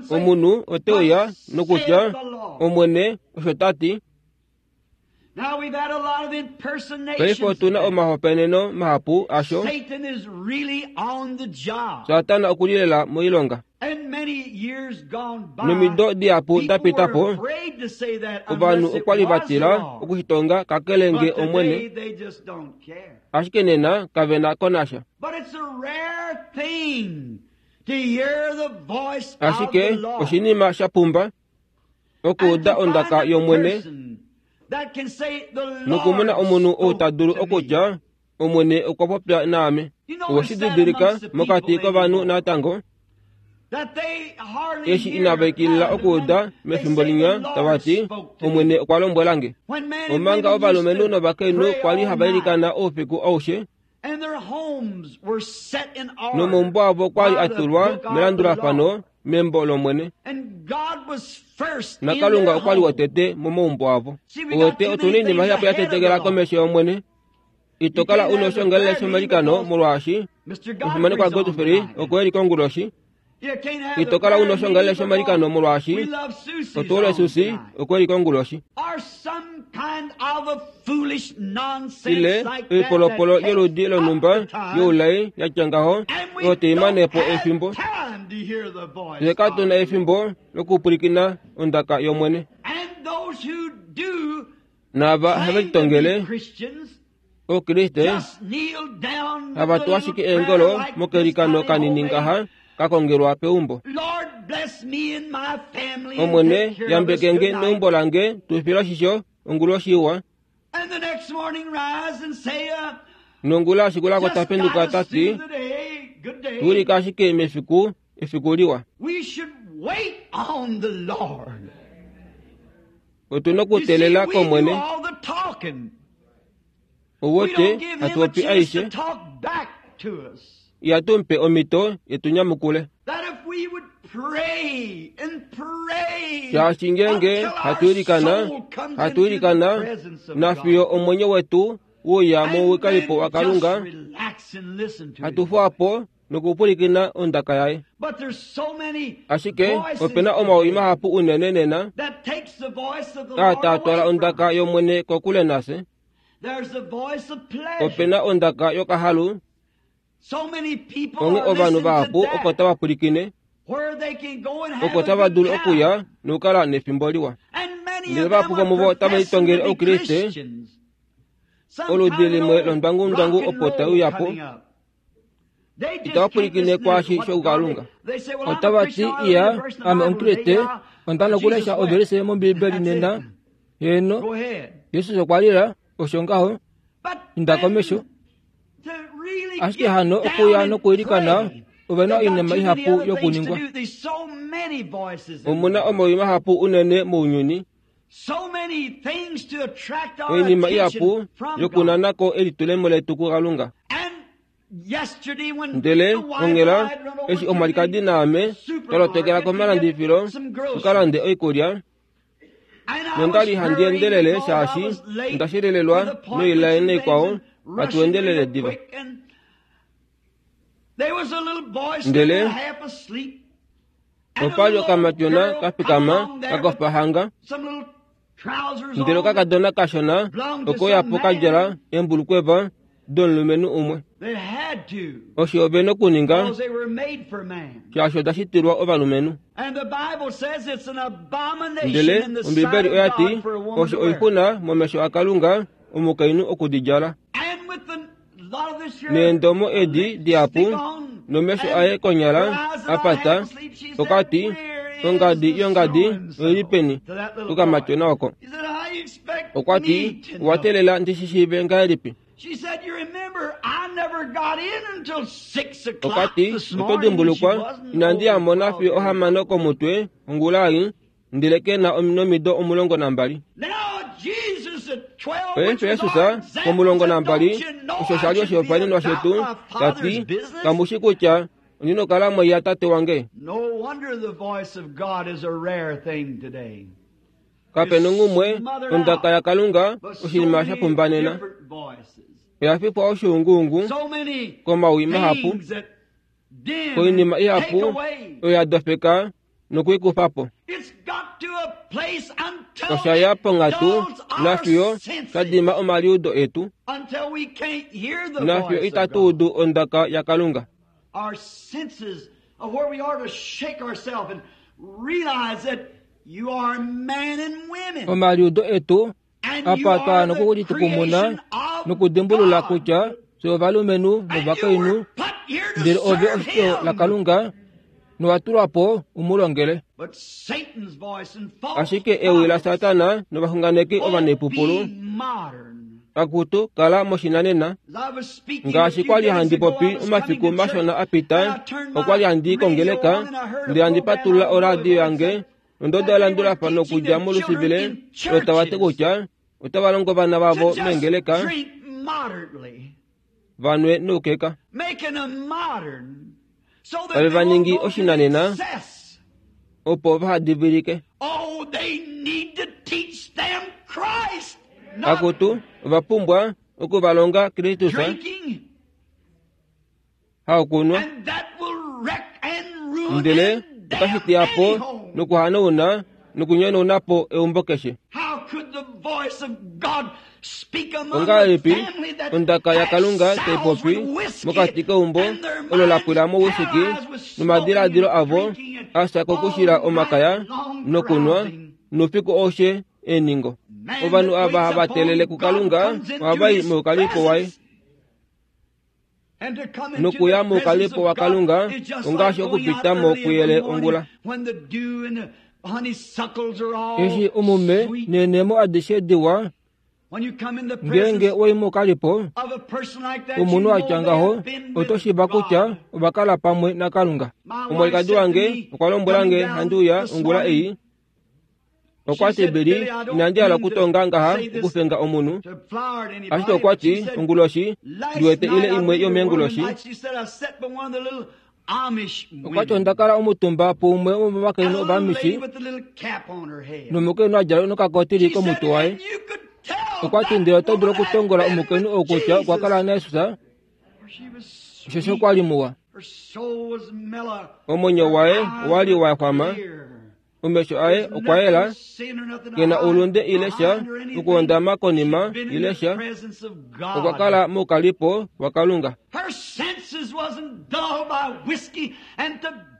Omunhu ote uya nokutya Omwene osho ta ti. Paife otuna omahopaeneno mahapu asho. Satana okuli lela moilonga. Nomido dihapu da pita po, ovanhu okwa li va tila okushitonga kakele nge Omwene, ashike nena kave na ko nasha. Ashike oshinima sha pumba okuuda ondaka yOmwene nokumona omunhu ou ta dulu okutya Omwene okwa popya naame. Owe shi didilika mokati kovanhu natango eshi inava ikilila okuuda mefimbo linya tava ti Omwene okwa lombwela nge. Omanga ovalumenhu novakainhu kwali hava ilikana oufiku aushe, nomaumbo avo kwali a tulwa melandulafano membo lOmwene, naKalunga okwali wotete momaumbo avo. Owete otuna oinima ihapu ya tetekela komesho yOmwene. Ito kala una oshongalele shomalikano molwaashi omufimanekwa Godfrey okwe li konguloshi. Ito kala una oshongalele shomalikano molwaashi otuole Susi okwe li konguloshi. Ile oipolopolo yoludi lonhumba youlai yatya ngaho oyo taimane po efimbo. Fye katuna efimbo lokupwilikina ondaka yOmwene. Naava have litongele Okriste hava tu ashike eengolo mokelikano kanini ngaha kakongelwa peumbo. Omwene yambeke nge neumbo lange tufile oshisho onguloshi iwa. Nongula ashikulako tapenduka tati tuulika ashike mefiku efiku liwa. Otuna okuteelela kOmwene. Owote hatupopi aishe ihatu mupe omhito yetunyamukule. Shaashi ngeenge hatu ilikana, hatu ilikana nafiyo omwenyo wetu uya mouwikalipo waKalunga, hatufuwapo nokupwilikina ondaka yaye. Ashike opena omawi mahapu unene nena aa taa twala ondaka yOmwene kokule nafye. Opena ondaka yokahalu. Onge ovanhu vahapu oko tava pwilikine, oko tava dulu okuya nokukala nefimbo liwa. Ndele vahapu vomuvo otave litongele Oukriste, oludi limwe londwangundwangu opo tai uya po. Itava pwilikine kwaashi shoukalunga. Otava ti, iya, ame Omukriste, onda nokulesha ovelise mOmbiibeli nena. Heeno, Jesus okwa lila, osho ngaho, inda komesho. Ashike hano okuya nokuilikana, ove na oinima ihapu yokuningwa. Omuna omawi mahapu unene mounyuni, oinima ihapu yokunanako elitulemo letu kuKalunga. Ndele onghela eshi omwalikadi naame twa lotokela komalandifilo tukalande oikulya, nondali handi endelele shaashi onda shilelelwa noilaye naikwao hatu endelele diva. Ndele opa li okamatyona kafikama kakofa hanga, ndele okakadona kashona okoyapo kadjala embulukweva domulumenhu umwe. Osho ove nokuninga shaashi oda shitilwa ovalumenhu. Ndele Ombibeli oya ti osho oixuna momesho aKalunga omukainhu okudidjala. Neendomo edi dihapu nomesho aye konyala apata, okati ongadi yongadi oili peni kokamatyona oko. Okwa ti, owa teelela ndi shi shiive ngahelipi? Okwa ti, oto dimbulukwa inandi ya mona fiyo ohamano komutwe ongula ei, ndele ke na nomido omulongo nambali. Paife Jesus pomulongo nambali, osho sha li oshihopaenenwa shetu, ta ti, kamushi kutya ondi nokukala moiya tate wange. Kape nongumwe ondaka yaKalunga oshinima sha pumba nena. Oya fifwa oshuunguungu komawi mahapu, koinima ihapu oyo ya dofeka nokuikufa po. Osha ya ponghatu nafiyo sha dima omaliudo etu, nafiyo itatu udu ondaka yaKalunga. Omaliudo etu apa twa nokulitukumuna nokudimbulula kutya fye ovalumenhu novakainhu, ndele ove oshito laKalunga nowa tulwa po umulongele. Ashike ewi laSatana novaxunganeki ovanepupulu, akutu kala moshinanena. Ngaashi kwali handi popi omafiku mashona apita, okwali handi kongeleka ndele handi patulula oradio yange nondodo yalandulafano okudja molusivile lotava ti kutya otava longo ovana vavo mengeleka vanwe noukeka, tave va ningi oshinanena opo vahadivilike. Akutu ova pumbwa okuvalonga Kristus, haokunwa, ndele otashi teya po nokuhanauna nokunyonauna po eumbo keshe. Ongahelipi ondaka yaKalunga tai popi mokati keumbo olo la pwila mouwhisky nomadiladilo avo a fya kokushila omakaya nokunwa noufiku aushe eeningo. Ovanhu ava hava telele kuKalunga ohava i moukalipo waye. Nokuya moukalipo waKalunga ongaashi okupita mo kuyele ongula. Eshi omume neenemo adishe diwa, ngeenge oi moukalipo omunhu atya ngaho oto shiiva kutya ova kala pamwe naKalunga. Omwalikadi wange okwa lombwela nge handi uya ongula ei. Okwa ti, Billy, inandi hala okutonga ngaha okufenga omunhu, ashike okwa ti onguloshi ndi wete ile imwe yomeenguloshi. Okwa ti onda kala omutumba puumwe womovakainhu ovamishi nomukainhu a djala nokakotili komutwe waye. Okwa ti ndele oto dulu okutongola omukainhu ou kutya okwa kala naJesus, osheshi okwa li muwa. Omwenyo waye owa li wa xwama, Omesho aye okwa yela kena oulunde ile sha okuhondama konima ile sha okwa kala moukalipo waKalunga.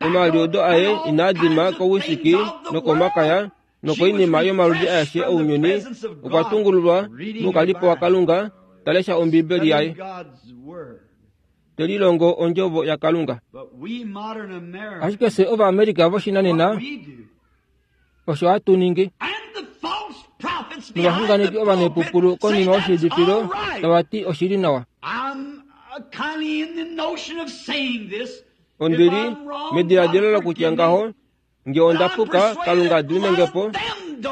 Omaliudo aye inaa dima kowisiki nokomakaya nokoinima yomaludi aeshe ounyuni. Okwa tungululwa moukalipo waKalunga talesha Ombibeli yaye telilongo ondjovo yaKalunga. Ashike fye Ovaamerica voshinanena osho hatu ningi. Novaxunganeki ovanepupulu konima yoshiidifilo tava ti oshili nawa. Ondili mediladilo lokutya ngaho nge onda puka Kalunga adimine po.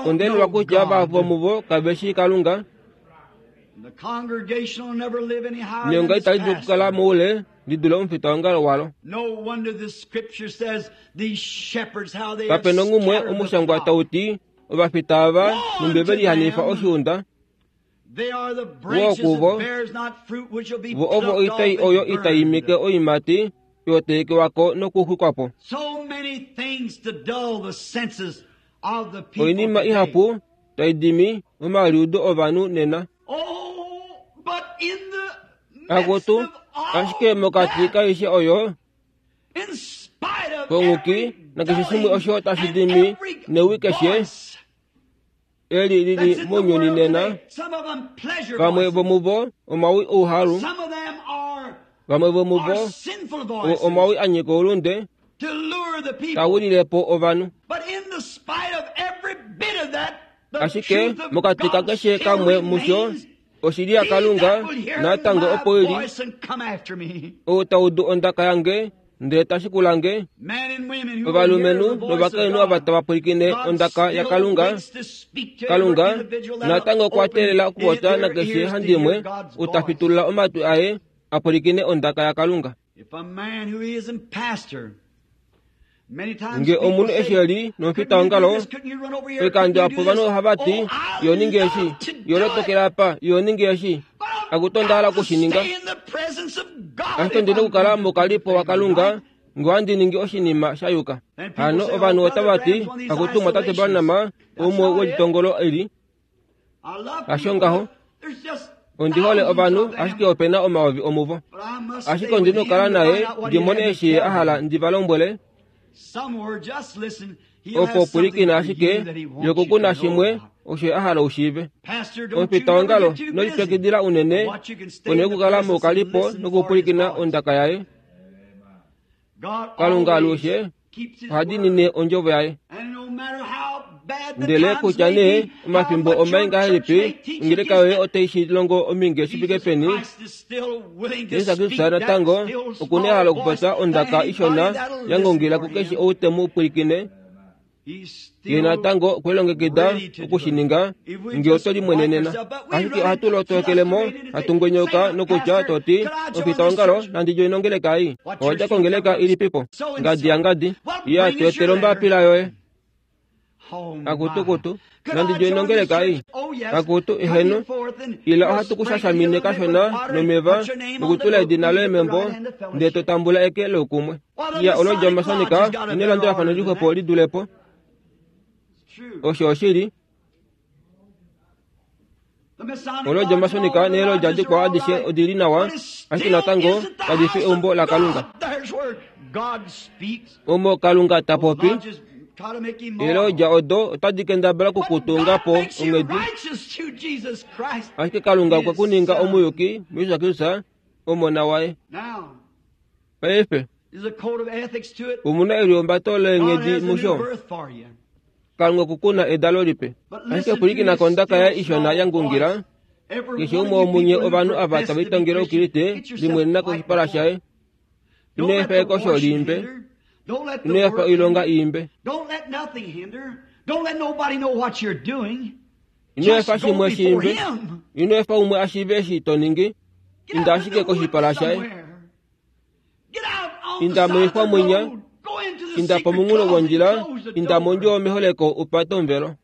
Ondenelwa kutya vahapu vomuvo kave shii Kalunga. Neonga itali dulu okukala moule lidule omufitaongalo walo. Kape nongumwe omushangwa tau ti ovafita ava numbi ve lihanifa oshiunda. Woo kuvo vo ovo oitai oyo itai imike oiimati yoteekewako nokuxwikwapo. Oinima ihapu tai dimi omaliudo ovanhu nena. Akutu ashike mokati kaishe oyo konguki nakeshe shimwe osho tashi dimi newi keshe eli lili mounyuni nena. Vamwe vomuvo omawi ouhalu, vamwe vomuvo omawi a nyika oulunde tawililepo ovanhu. Ashike mokati kakeshe kamwe musho oshili yaKalunga natango opo ili. Ou taudu ondaka yange ndele tashikulange. Ovalumenhu novakainhu ava tava pwilikine ondaka yaKalunga, Kalunga natango okwa teelela okupopya nakeshe handimwe ou ta fitulula omatwi aye a pwilikine ondaka yaKalunga. Nge omunhu eshi eli nomufitaongalo, oikando apo ovanhu ohava ti yo ninge eshi, yo lotokela apa, yo ninge eshi. Akutu onda hala okushininga. Ashike ondina okukala moukalipo waKalunga nge ohandi ningi oshinima sha yuka. Hano ovanhu otava ti akutu mwatate Branham umwe welitongolo eli. Hasho ngaho. Ondi hole ovanhu ashike opena omayovi omuvo. Ashike ondina okukala naye ndi mone eshi ye a hala ndi va lombwele. Opo pwilikina ashike yokukuna shimwe osho a hala ushiive. Omufitaongalo nolipyakidila unene one okukala moukalipo nokupwilikina ondaka yaye. Kalunga alushe oha diinine ondjovo yaye. Ndele kutya nee omafimbo omai ngahelipi ongeleka yoye otai shi longo ominge shi fike peni, Jesus Kristus natango okuna ehalo okupopya ondaka ishona ya ngongela kukeshe ou te mu pwilikine. Ye natango okwe lilongekida okushininga nge oto limwenenena. Ashike ohatu lotokelemo hatu ngwenyauka nokutya toti omufitaongalo nandi djoine ongeleka ei. Owadja kongeleka ilipipo? Ngadi ya ngadi. Iya tu etele ombapila yoye. Akutukutu nandi djoine ongeleka ei. Akutu eheno ila ohatu kushashamine kashona nomeva nokutula edina loye membo ndele to tambula eke loukumwe. Iya olodja omasonika nelandulafano lixwepo lidulepo. Osho oshili. Olodja omasonika neelodja dikwao adishe odili nawa, ashike natango kadi fi eumbo laKalunga. Omo Kalunga ta popi, eelodja odo otadi kendabala okukutunga po onghedi. Ashike Kalunga okwe ku ninga omuyuki muJesus Kristus, Omona waye. Paife omuna elihumbato leenghedi musho. Kalunga okukuna edalo lipe. Ashike pwilikina kondaka yaye ishona ya ngungila. Keshe umwe womunye ovanhu ava tava itangele oukriste limwenena koshipala shaye. Ino efa ekosho liimbe. Ino efa oilonga iimbe. Ino efa shimwe shiimbe. Ino efa umwe ashiive eshi to ningi. Inda ashike koshipala shaye. Inda moixwa mwinya. Inda pomunghulo wondjila. Inda mondjuwo yomeholeko upate omuvelo.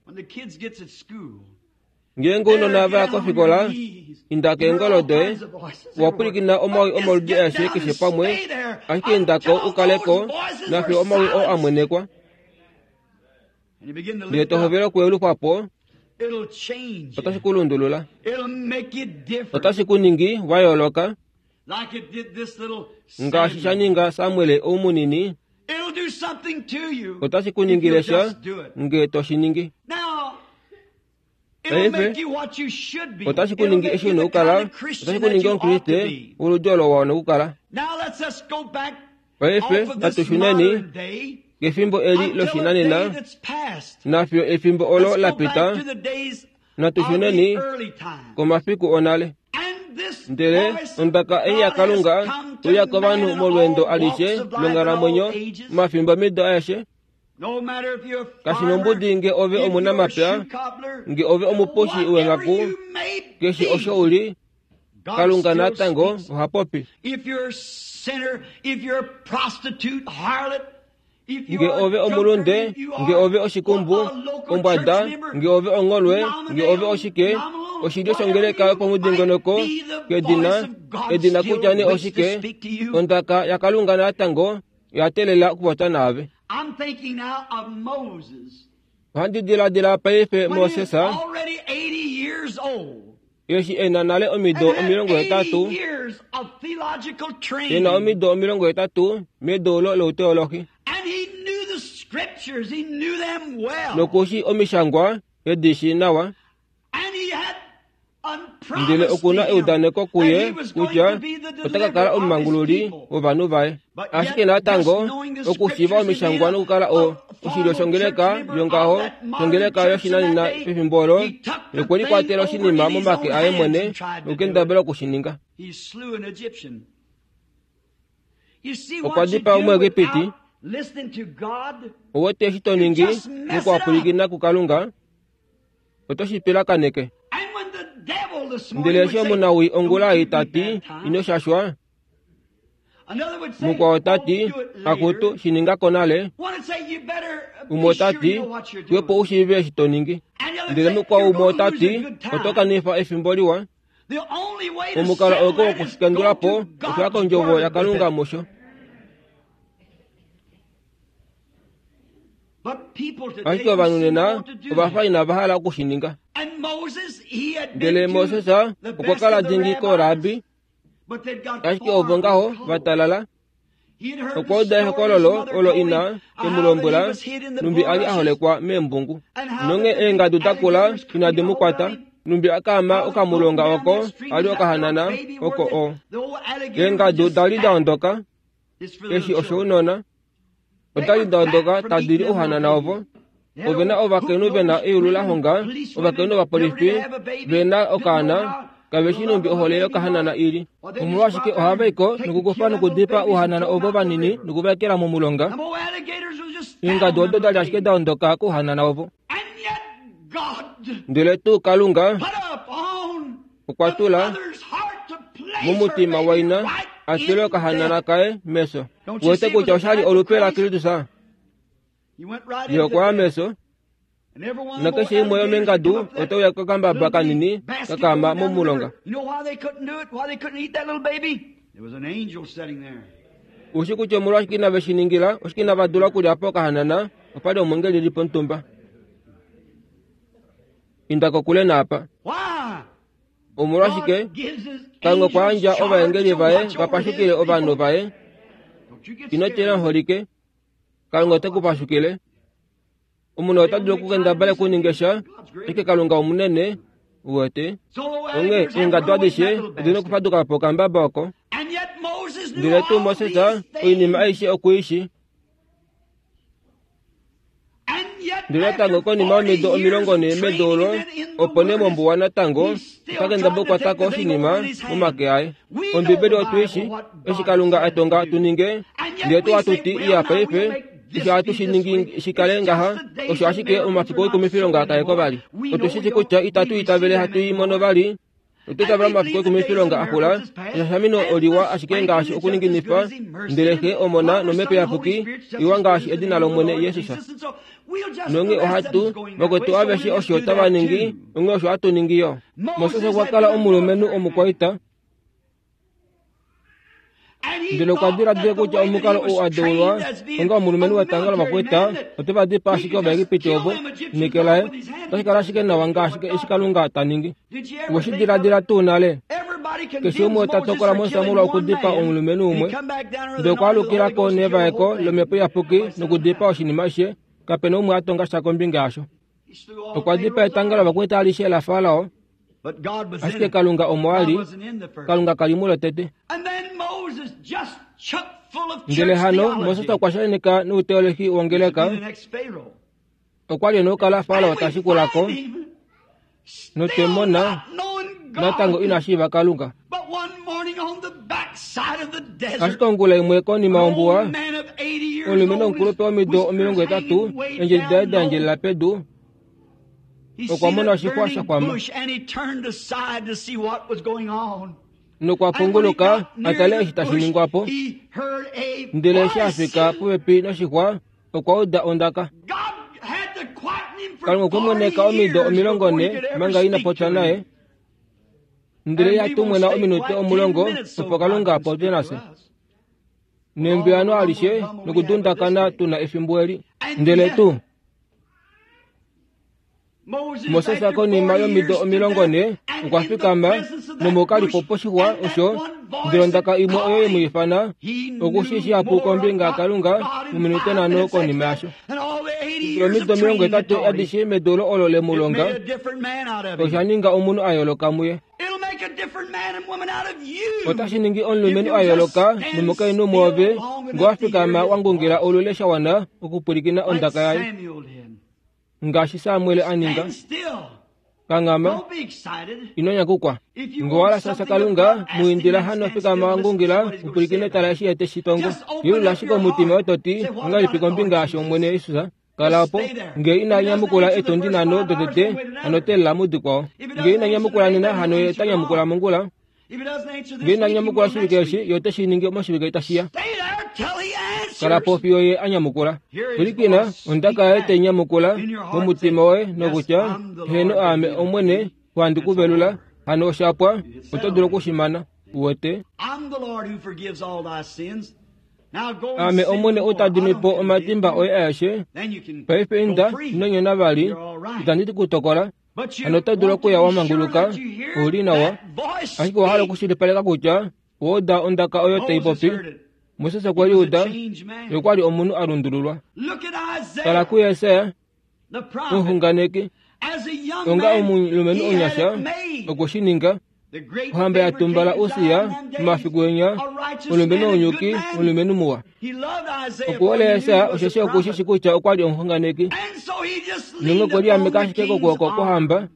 Ngeenge ounona vaya kofikola, inda keengolo doye. Owapwilikina omawi omaludi aeshe keshe pamwe, ashike indako ukaleko nafiyo omawi oo amwenekwa. Ndele to hovele okuyelufa po, otashi ku lundulula, otashi ku ningi wa yooloka, ngaashi sha ninga Samuel ou munini. Otashi ku ningile sha nge to shi ningi. Paife otashi ku ningi eshi una okukala, otashi ku ningi omukriste woludi olo wa wana okukala. Paife natu shuneni kefimbo eli loshinanena, nafiyo efimbo olo la pita, natu shuneni komafiku onale. Ndele ondaka ei yaKalunga uya kovanhu molweendo alishe longhalamwenyo mafimbo mido aeshe. Kashi nombudi nge ove omunamapya, nge ove omuposhi wenghaku, keshe osho uli, Kalunga natango oha popi. Nge ove omulunde, nge ove oshikumbu, ombwada, nge ove ongolwe, nge ove oshike, oshilyo shongeleka yopomudingonoko, kedina, edina kutya ne oshike, ondaka yaKalunga natango yatelela okupopya naave. Ohandi diladila paife Moses eshi ena nale omido omilongo hetatu, ena omido omilongo hetatu medoulo louteolohi, nokushi omishangwa edishi nawa, ndele okuna eudaneko kuye kutya ota ka kala omumangululi wovanhu vaye. Ashike natango okushiiva omishangwa nokukala o oshilyo shongeleka yongaho shongeleka yoshinanena pefimbo olo, okwe likwatela oshinima momake aye mwene nokukendabala okushininga. Okwa dipaa Omuegipiti. Owete eshi to ningi mokuhapwilikina kuKalunga, oto shi pilakaneke. Ndele eshi omunawii ongula ei ta ti, ino shashwa, mukwao ta ti, akutu shi ninga konale, umwe ota ti, xwepo u shiive eshi to ningi. Ndele mukwao umwe ota ti, oto kanifa efimbo liwa. Omukalo auke wokushikandula po okuya kondjovo yaKalunga musho. Ashike ovanhu nena ova fa inava hala okushininga. Ndele Moses okwa kala dingi koorabi, ashike ovo ngaho va talala. Okwa uda ehokololo olo ina emu lombwela, numbi ali a holekwa meembungu. Nonge eengadu da kula inadi mu kwata, numbi akaama okamulonga oko ali okahanana oko o. Eengadu dali da ondoka, eshi oshounona, odali da ondoka tadi li ouhanana ovo. Ovena ovakainhu vena eyulu la honga, ovakainhu ovapolifi vena okaana, kaveshi numbi ohole yokahanana ili. Omolwashike ohava iko nokukufa nokudipaa ouhanana ovo vanini nokuvaekela momulonga. Eengadu odo dali ashike da ondoka kouhanana ovo. Ndele tuu Kalunga okwa tula momutima waina a tule okahanana kaye meso. Wete kutya oshali olupe laKristus. Ye okwa ya meso, nakeshe imwe yomengadu otauya kokambaba kanini kakaama momulonga. Ushi kutya omolwashike inave shi ningila, oshike inava dula okulya po okahanana, opali omwengeli li pomutumba. Inda kokule naapa. Omolwashike Kalunga okwa yandja ovaengeli vaye va pashukile ovanhu vaye. Ino tila muholike, Kalunga ote ku pashukile. Omunhu ota dulu okukendabala okuninga sha, ashike Kalunga omunene, uwete. Onghee eengadu adishe odina okufaduka po okambaba oko. Ndele tuu Moses oinima aishe okuishi. Ndele natango konima yomido omilongo nhee medoulo, opo nee mombuwa natango ota kendabala okukwatako oshinima momake aye. Ombibeli otuishi eshi Kalunga a tonga tu ninge, ndele tu hatuti iya paife, eshi hatu shi ningi shikale ngaha, osho ashike omafiku oikumifilonga kaeko vali. Otu shi kutya itatu itavele hatu i mono vali, otu itavela omafiku oikumifilonga akula, eshashamino oliwa ashike ngaashi okuninginifa, ndele Xe Omona nOmhepo Iyapuki iwa ngaashi edina lOmwene Jesus. Nonge ohatu vakwetu aveshe osho tava ningi, onge osho hatu ningi yo. Moses okwa kala omulumenhu omukwaita. Ndele okwa diladila kutya omukalo ou a deulwa onga omulumenhu wetanga lovakwaita oteva dipaa ashike Ovaegipiti ovo neke laye otashi kala ashike nawa ngaashi eshi Kalunga ta ningi. Oweshi diladila tuu nale? Keshe umwe ota tokola Moses molwa okudipaa omulumenhu umwe, ndele okwa alukila ko nevaeko lomhepo iyapuki nokudipaa oshinima ashishe. Kapena umwe a tonga sha kombinga yasho. Okwa dipaa etanga lovakwaita alishe laFarao, ashike Kalunga omo a li. Kalunga kali mulo tete. Ndele hano Moses okwa shakeneka nouteolohi wongeleka. Okwa li e na okukala Farao ta shikulako, notwemona natango ina shiiva Kalunga. Ashike ongula imwe konima yombuwa, omulumenhu omukulupe womido omilongo hetatu, eendjedi daye da endjelela pedu, okwa mona oshixwa sha xwama nokwa punguluka a tale eshi tashi ningwa po. Ndele eshi a fika popepi noshixwa, okwa uda ondaka. Kalunga okwe mweneka omido omilongo ne manga ina popya naye, ndele yatumwena ominute omulongo opo Kalunga apopye nafye. Nembuyano alishe nokudundakana tuna efimbo eli. Ndele tuu Moses konima yomido omilongo ne okwa fikama nomokalipo poshixwa osho, ndele ondaka imwe oyo ye mu ifana okushi shihapu kombinga yaKalunga mominute nhano konima yasho. Omido omilongo hetatu adishe medeulo olo le mu longa osha ninga omunhu a yooloka muye. Otashi ningi omulumenhu a yooloka nomukainhu mwoove ngo wa fikama wa ngungila olule sha wana okupwilikina ondaka yaye, ngaashi Samuel a ninga. Kangama, ino nyakukwa. Ngo wala sasa Kalunga muindila hano fikama wa ngungila upwilikine tala eshi ete shitongo. Yulula ashike omutima wetoti ongahelipi kombinga yasho Omwene Jesus. Kala opo nge ina nyamukula etondi nhano dotete hano telela mudikwao. Nge ina nyamukula nena hano ye ta nyamukula mongula. Nge ina nyamukula oshivike eshi ye ote shi ningi moshivike tashi ya. Kala po fiyo ye a nyamukula. Pwilikina ondaka yaye tai nyamukula momutima woye nokutya heeno aame Omwene wandi kuvelula hano oshapwa oto dulu okushimana. Uwete aame Omwene ou ta dimi po omatimba oye aeshe. Paife inda ino nyona vali, itandi ku tokola. Hano oto dulu okuya wa manguluka, ouli nawa. Ashike owa hala okushilipaleka kutya owa uda ondaka oyo tai popi. Moses okwe li uda, ye okwa li omunhu a lundululwa. Tala kuJesaja, omuxunganeki, onga omulumenhu omunyasha okwe shi ninga. Ohamba ya tumbala Usia momafiku enya, omulumenhu omuyuki, omulumenhu muwa. Okuhole Jesaja osheshi oku shi kutya okwa li omuxunganeki. Nonge okwe liameka ashike kokwooko kwohamba.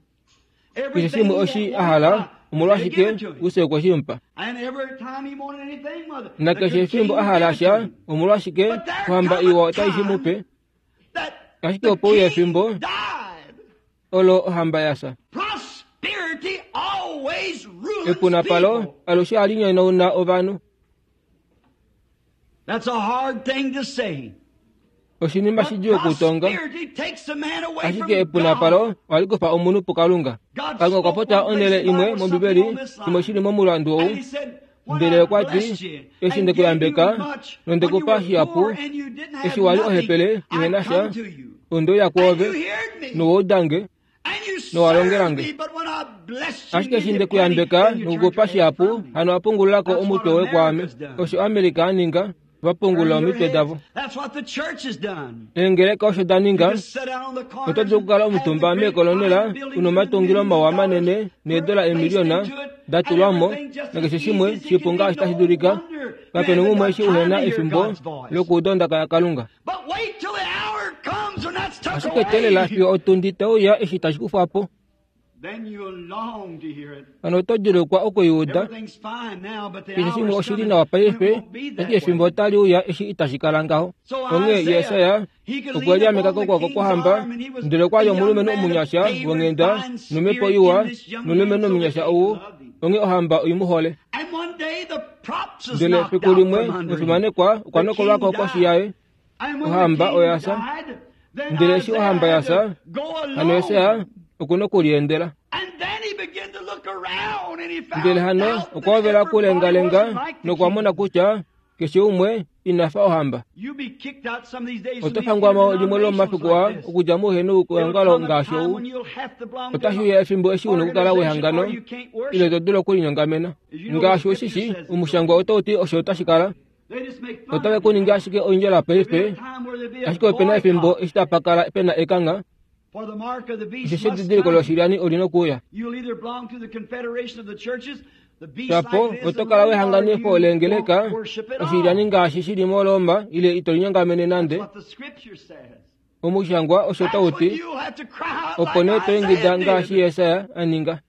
Keshe shimwe oshi a hala, omolwashike Usia okwe shi mupa. Nakeshe efimbo a hala sha, omolwashike ohamba iwa otai shi mupe. Ashike opo uya efimbo olo ohamba yafya. Epunapalo alushe ohali nyonauna ovanhu. Oshinima shidjuu okutonga, ashike epunapalo ohali kufa omunhu puKalunga. Kalunga okwa popya onhele imwe mOmbibeli, shimwe shili momulandu ou, ndele okwa ti, eshi nde kuyambeka nonde kupa shihapu, eshi wali ohepele ihe na sha, onde uya kwoove, nowa uda nge, nowa longela nge. Ashike eshi nde kuyambeka nokukupa shihapu, hano wa pungulula ko omutwe woye kwaame. Osho Amerika a ninga, va pungulula omitwe davo. Eengeleka osho da ninga. Oto dulu okukala omutumba meekolonela una omatungilo mawa manene needola eemiliona da tulwa mo, nakeshe shimwe shipu ngaashi tashi dulika. Kapena umwe eshi uhena efimbo lokuuda ondaka yaKalunga. Ashike teelela fiyo otundi teuya eshi tashi kufwa po. Hano oto dulukwa okuiuda. Keshe shimwe oshili nawa paife, ashike efimbo otali uya eshi itashi kala ngaho. Onghee Jesaja okwe liameka kokwooko kwohamba, ndele okwa li omulumenhu omunyasha wonghenda nomhepo iwa, nomulumenhu omunyasha ou, onghee ohamba oi mu hole. Ndele efiku limwe omufimanekwa okwa nokolwako koshi yaye, ohamba oya fya. Ndele eshi ohamba ya fya, hano Jesaja okuna okuliendela. Ndele hano okwa hovela okulengalenga nokwa mona kutya keshe umwe inafa ohamba. Oto fangwamo limwe lomomafiku aa okudja mouhenu weongalo ngaashi ou. Otashi uya efimbo eshi una okukala wehangano ile to dulu okulinyongamena. Ngaashi ushishi, omushangwa otau ti osho otashi kala. Otave ku ningi ashike oindjala paife, ashike opena efimbo eshi tapa kala pena ekangha. Osheshi edidiliko loshilyani oli nokuuya. Shapo oto kala wehanganifo leengeleka oshilyani ngaashi shili moRoma ile ito linyongamene nande. Omushangwa osho tau ti, opo nee to ingida ngaashi Jesaja a ninga.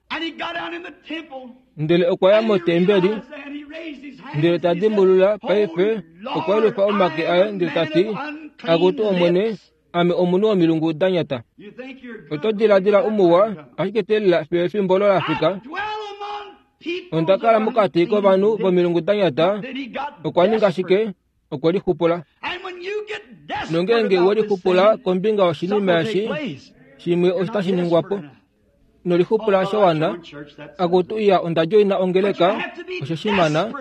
Ndele okwa ya motembeli, ndele ta dimbulula paife okwa yelufa omake aye ndele ta ti, akutu Omwene, ame omunhu womilungu da nyata. Oto diladila umuwa, ashike teelela fiyo efimbo olo la fika. Onda kala mokati kovanhu vomilungu da nyata. Okwa ninga shike? Okwe lixupula. Nongeenge we lixupula kombinga yoshinima eshi, shimwe otashi ningwa po. Nolixupula shawana, akutu iya onda djoina ongeleka, osho shimana,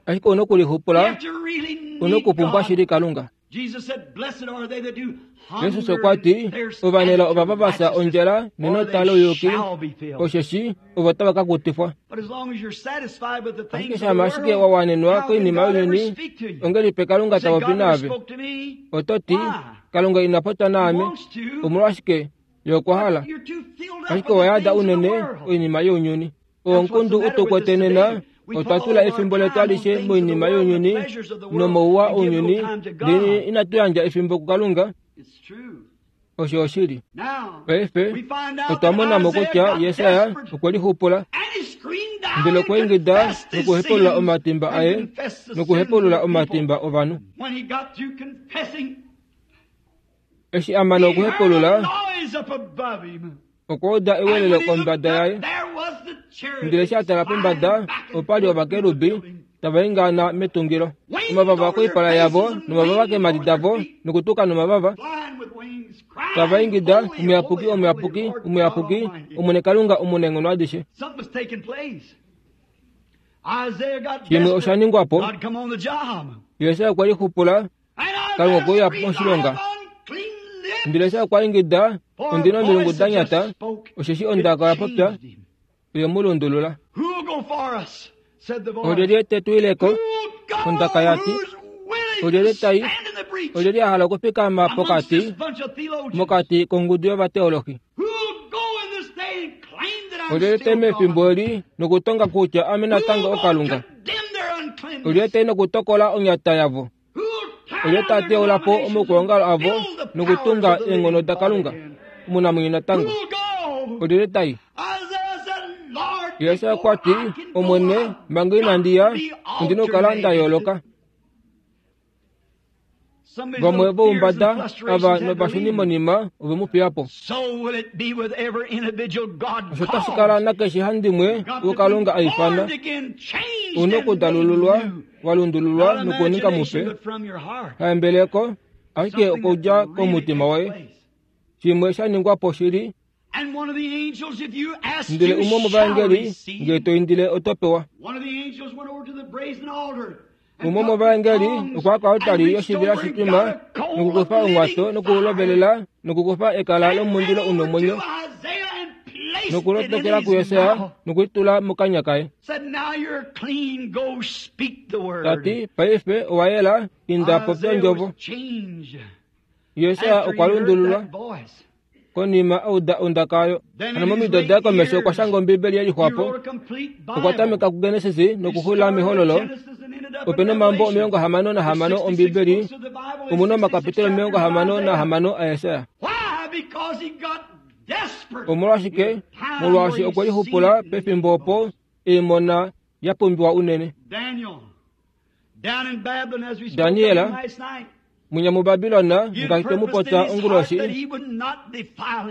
ashike una okulixupula, una okupumbwa shili Kalunga. Jesus okwa ti, ovanelao ovava va fya ondjala nenota louyuki, osheshi ovo tava ka kutifwa. Ashike shama ashike wa wanenwa koinima younyuni, ongelipe Kalunga ta popi naave? Oto ti, Kalunga ina popya naame. Omolwashike? Ye okwa hala. Ashike owa yada unene oinima younyuni. Oonkundu utukwete nena, otwa tula efimbo letu alishe moinima younyuni nomouwa ounyuni, ndele inatu yandja efimbo kuKalunga. Osho oshili. Paife otwa mona mo kutya Jesaja okwe lixupula, ndele okwa ingida nokuhepulula omatimba aye nokuhepulula omatimba ovanhu. Eshi a mana okuhepulula, okwa uda ewelelo kombada yaye. Ndele eshi a tala pombada, opa li ovakerubi tava ingana metungilo, omavava koipala yavo nomavava keemhadi davo nokutuka nomavava, tava ingida, omuyapuki, omuyapuki, omuyapuki, Omwene Kalunga omunaenghono adishe. Shimwe osha ningwa po. Jesaja okwa lixupula, Kalunga okwe uya moshilonga. Ndele eshi okwa ingida, ondina omilungu da nyata, osheshi ondaka oya popya, oye mu lundulula. Olyelye te tu ileko? Ondaka ya ti, olyelye tai, olyelye a hala okufikama pokati mokati kongudu yovateolohi? Olyelye tai mefimbo eli nokutonga kutya ame natango oKalunga? Olyelye tai nokutokola onyata yavo? Olyelye ta teula po omaukwaongalo avo nokutunga eenghono daKalunga omunamwenyo natango? Olyelye tai? Jesaja okwa ti, Omwene, manga inandi ya, ondina okukala nda yooloka. Vamwe voumbada ava novashunimonima ove mu fiya po. Osho tashi kala nakeshe handimwe woKalunga a ifana, una okudalululwa, wa lundululwa nokuninga mupe, haembeleko, ashike okudja komutima woye. Shimwe sha ningwa po shili. Ndele umwe womovaengeli, ngee to indile oto pewa. Umwe womovaengeli okwa ya koaltari yoshivila shitwima nokukufa omwato nokuulovelela nokukufa ekala lomundilo una omwenyo nokulotokela kuJesaja nokulitula mokanya kaye. Ta ti, paife owa yela, inda popya ondjovo. Jesaja okwa lundululwa konima auda ondaka oyo. Hano momido daye komesho okwa shanga Ombibeli ye lixwapo. Okwa tameka kuGenesis nokuxula mEhololo. Opena omambo omilongo hamano nahamano Ombibeli, omu na omakapitelo omilongo hamano nahamano aJesaja. Omolwashike? Molwaashi okwe lixupula pefimbo opo eemona ya pumbiwa unene. Daniel, munya muBabilona ngaashi twe mu popya onguloshi,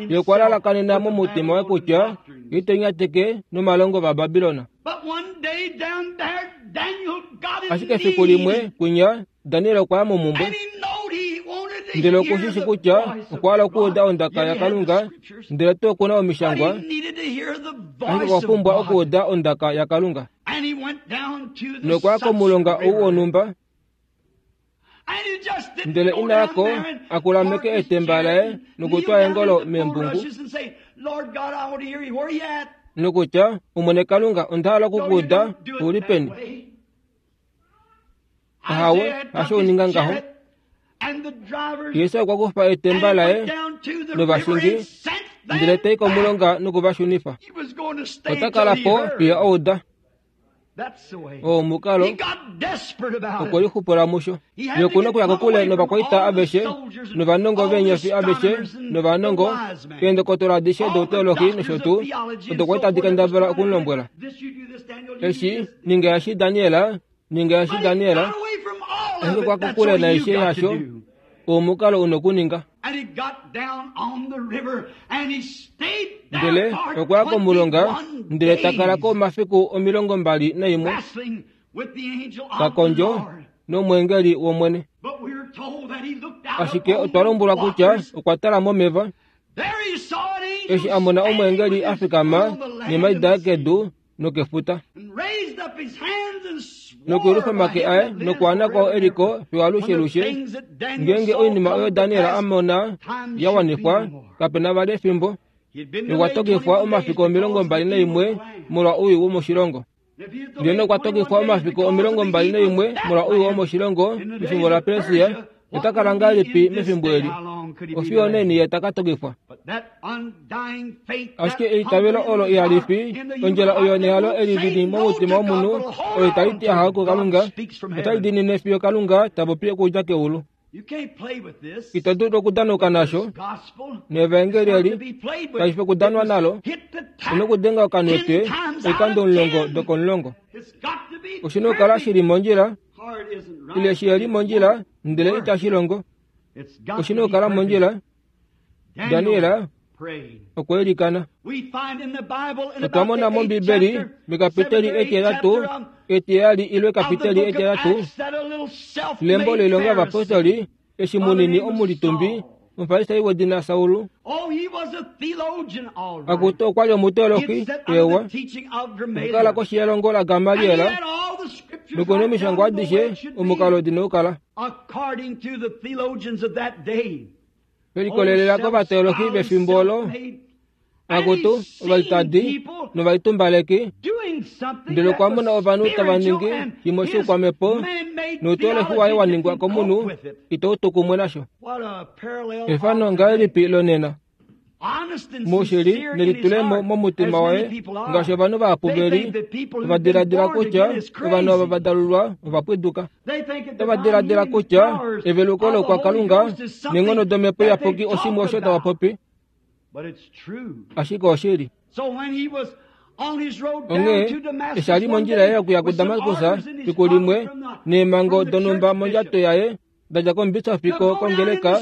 ye okwa lalakanena momutima waye kutya ye ite nyateke nomalongo vaBabilona. Ashike efiku limwe kwinya Daniel okwa ya momumbwe, ndele okushishi kutya okwa hala okuuda ondaka yaKalunga, ndele tuu okuna omishangwa, Ashike okwa pumbwa okuuda ondaka yaKalunga. Nokwa komulonga ou wonhumba, ndele ina yako akulameke etemba laye nokutwa eengolo meembungu nokutya, Omwene Kalunga, onda hala okukuuda uli peni. Ahawe, hasho uninga ngaho. Yesu okwa kufa etemba laye novashingi ndele tai komulonga nokuvashunifa. Ota kala po fiyo ouda. Oo omukalo okwe lixupula musho. Ye okuna okuya kokule novakwaita aveshe novanongo veenyofi aveshe novanongo eendokotola adishe douteologi nosho tuu odo kwali tadi kendabala okumulombwela. Eshi ninga eshi Daniel, ninga eshi Daniel, ashike okwa kokule naishe yasho. Omukalo una okuninga. Ndele okwa ya komulonga ndele ta kala ko omafiku omilongo mbali naimwe ta kondjo nomweengeli wOmwene. Ashike otwa lombwelwa kutya okwa tala momeva eshi a mona omweengeli a fikama neemhadi daye kedu nokefuta nokuyelufa omake aye nokwaana kwao eliko fiyo alushelushe. Ngeenge oinima oyo Daniel a mona ya wanifwa, kapena vali efimbo. Okwa tokifwa omafiku omilongo mbali naimwe molwa owii womoshilongo. Ndele okwa tokifwa omafiku omilongo mbali naimwe molwa owii womoshilongo mefimbo laPersia. Ota kala ngahelipi mefimbo eli? Ofiyo neni ye taka tokifwa. Ashike eitavelo olo ihali fi, ondjila oyo nehalo eli lili momutima womunhu oyo itali ti ahawe kuKalunga, otali diinine fiyo Kalunga ta popi okudja keulu. Ito dulu okudanuka nasho, nevaengeli eli kashi fi okudanwa nalo. Una okudenga okanwetwe oikando omulongo dokomulongo. Oshina okukala shili mondjila, ile shiheli mondjila ndele itashi longo. Oshina okukala mondjila. Daniel okwa ilikana. Otwa mona mOmbibeli mekapiteli etiheyatu etiheyali ile ekapiteli etiheyatu lembo loilonga yovapostoli eshi munini omulitumbi omufarisai wedina Saul. Akutu okwa li omuteologi ewa, okukala koshi yelongo laGamaliel nokuna omishangwa adishe omukalo dina okukala. Velikolelela kovateologi vefimbo olo, akutu ovalitadi novalitumbaleki, ndele okwa mona ovanhu tava ningi shimwe shoukwamhepo nouteologi waye wa ningwa komunhu itau tu kumwe nasho. Efano ngahelipi lonena? Muushili nelitulemo momutima waye ngaashi ovanhu vahapu veli ova diladila kutya ovanhu ava va dalulwa ova pwiduka. Otava diladila kutya eveluko loukwakalunga neenghono domhepo iyapuki oshimwe osho tava popi, ashike oshili. Onghee eshi a li mondjila yaye yokuya kuDamaskus fiku limwe neemhango donhumba mondjato yaye da dja komubisofi kongeleka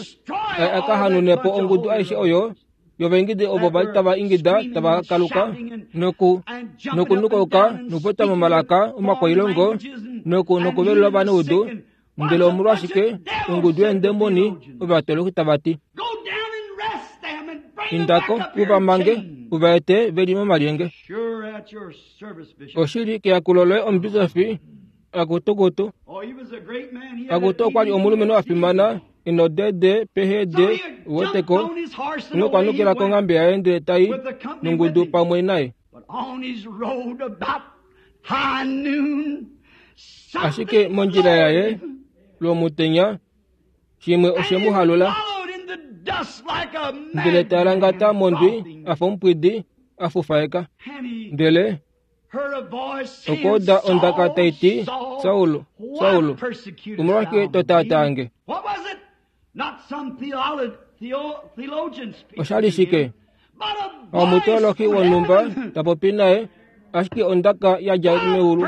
a ka hanune po ongudu aishe oyo yovaingidi ovo vali tava ingida tava kaluka noku nokunukauka nokupopya momalaka omakwailongo noku nokuvelula ovanaudu. Ndele omolwashike ongudu yeendemoni ovatoloki tava ti, indako u va mange u va ete veli momalyenge. Oshili keyakulo loye omubisofi akutukutu. Akutu okwa li omulumenhu a fimana ino dede pehede uweteko nokwanukila konghambe yaye ndele tai nongudu pamwe naye. Ashike mondjila yaye lwomutenya shimwe oshe mu halula ndele ta langata mondwi a fa omupwidi a fufaeka. Ndele okwa uda ondaka tai ti, Saul, Saul, omolwashike to taataa nge? Osha li shike? Omuteologi wonhumba ta popi naye, ashike ondaka ya dja meulu.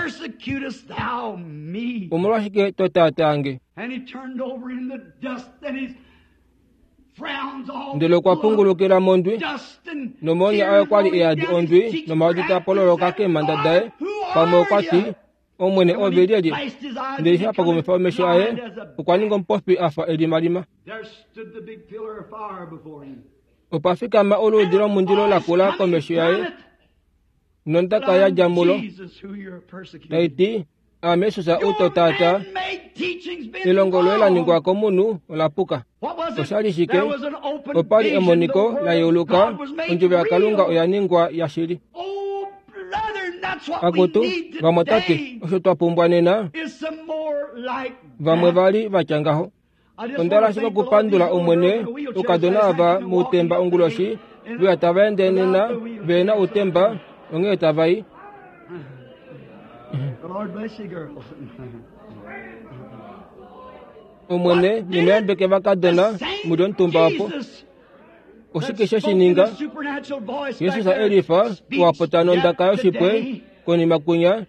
Omolwashike to taataa nge? Ndele okwa pungulukila mondwi, nomoonya aye okwa li e yadi ondwi nomaodi taa pololoka keemhanda daye. Pamwe okwa ti, Omwene ove lyelye? Ndele eshi a pakumifa omesho aye, okwa ninga omupofi a fa elimalima. Opa fikama oluudi lomundilo lakula komesho yaye, Nondaka ya dja mulo taiti aame Jesus ou tata elongo loye la ningwa komunhu ola puka. Oshali shike? Opali emoniko la yeuluka, ondjovo yaKalunga oya ningwa yashili. Akutu vamwatate, osho twa pumbwa nena vamwe vali vatya ngaho. Onda hala ashike okupandula Omwene oukadona ava moutemba onguloshi veya tava ende nena vehena outemba onghee tava i. Omwene nemeyambeke vakadona muli omutumba opo. Oshike she shi ninga? Jesus elifa wapota nondaka yoshipwe konima kunya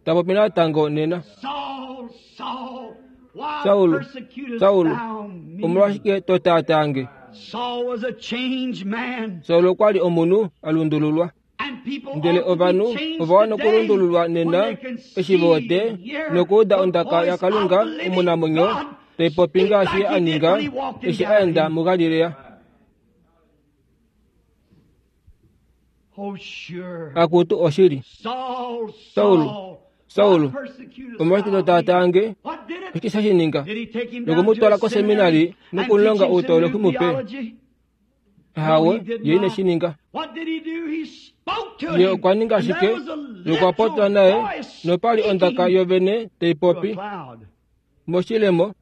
tapopi natango nena. Saulu, Saulu, omolwashike to taatange? Saulu okwa li omunhu a lundululwa. Ndele ovanhu ova wana okulundululwa nena eshi vote nokuuda ondaka yaKalunga omunamwenyo taipopi ngaashi a ninga eshi a enda muGalilea. Akutu oshili. Saulu, Saulu, omolwashike to taatange? Oshike she shi ninga? Nokumutwala koseminari nokumulonga outoloki mupe? Ahawe, ye ine shi ninga. Ye okwa ninga ashike, nokwa popya naye, nopali ondaka yovene taipopi moshilemo.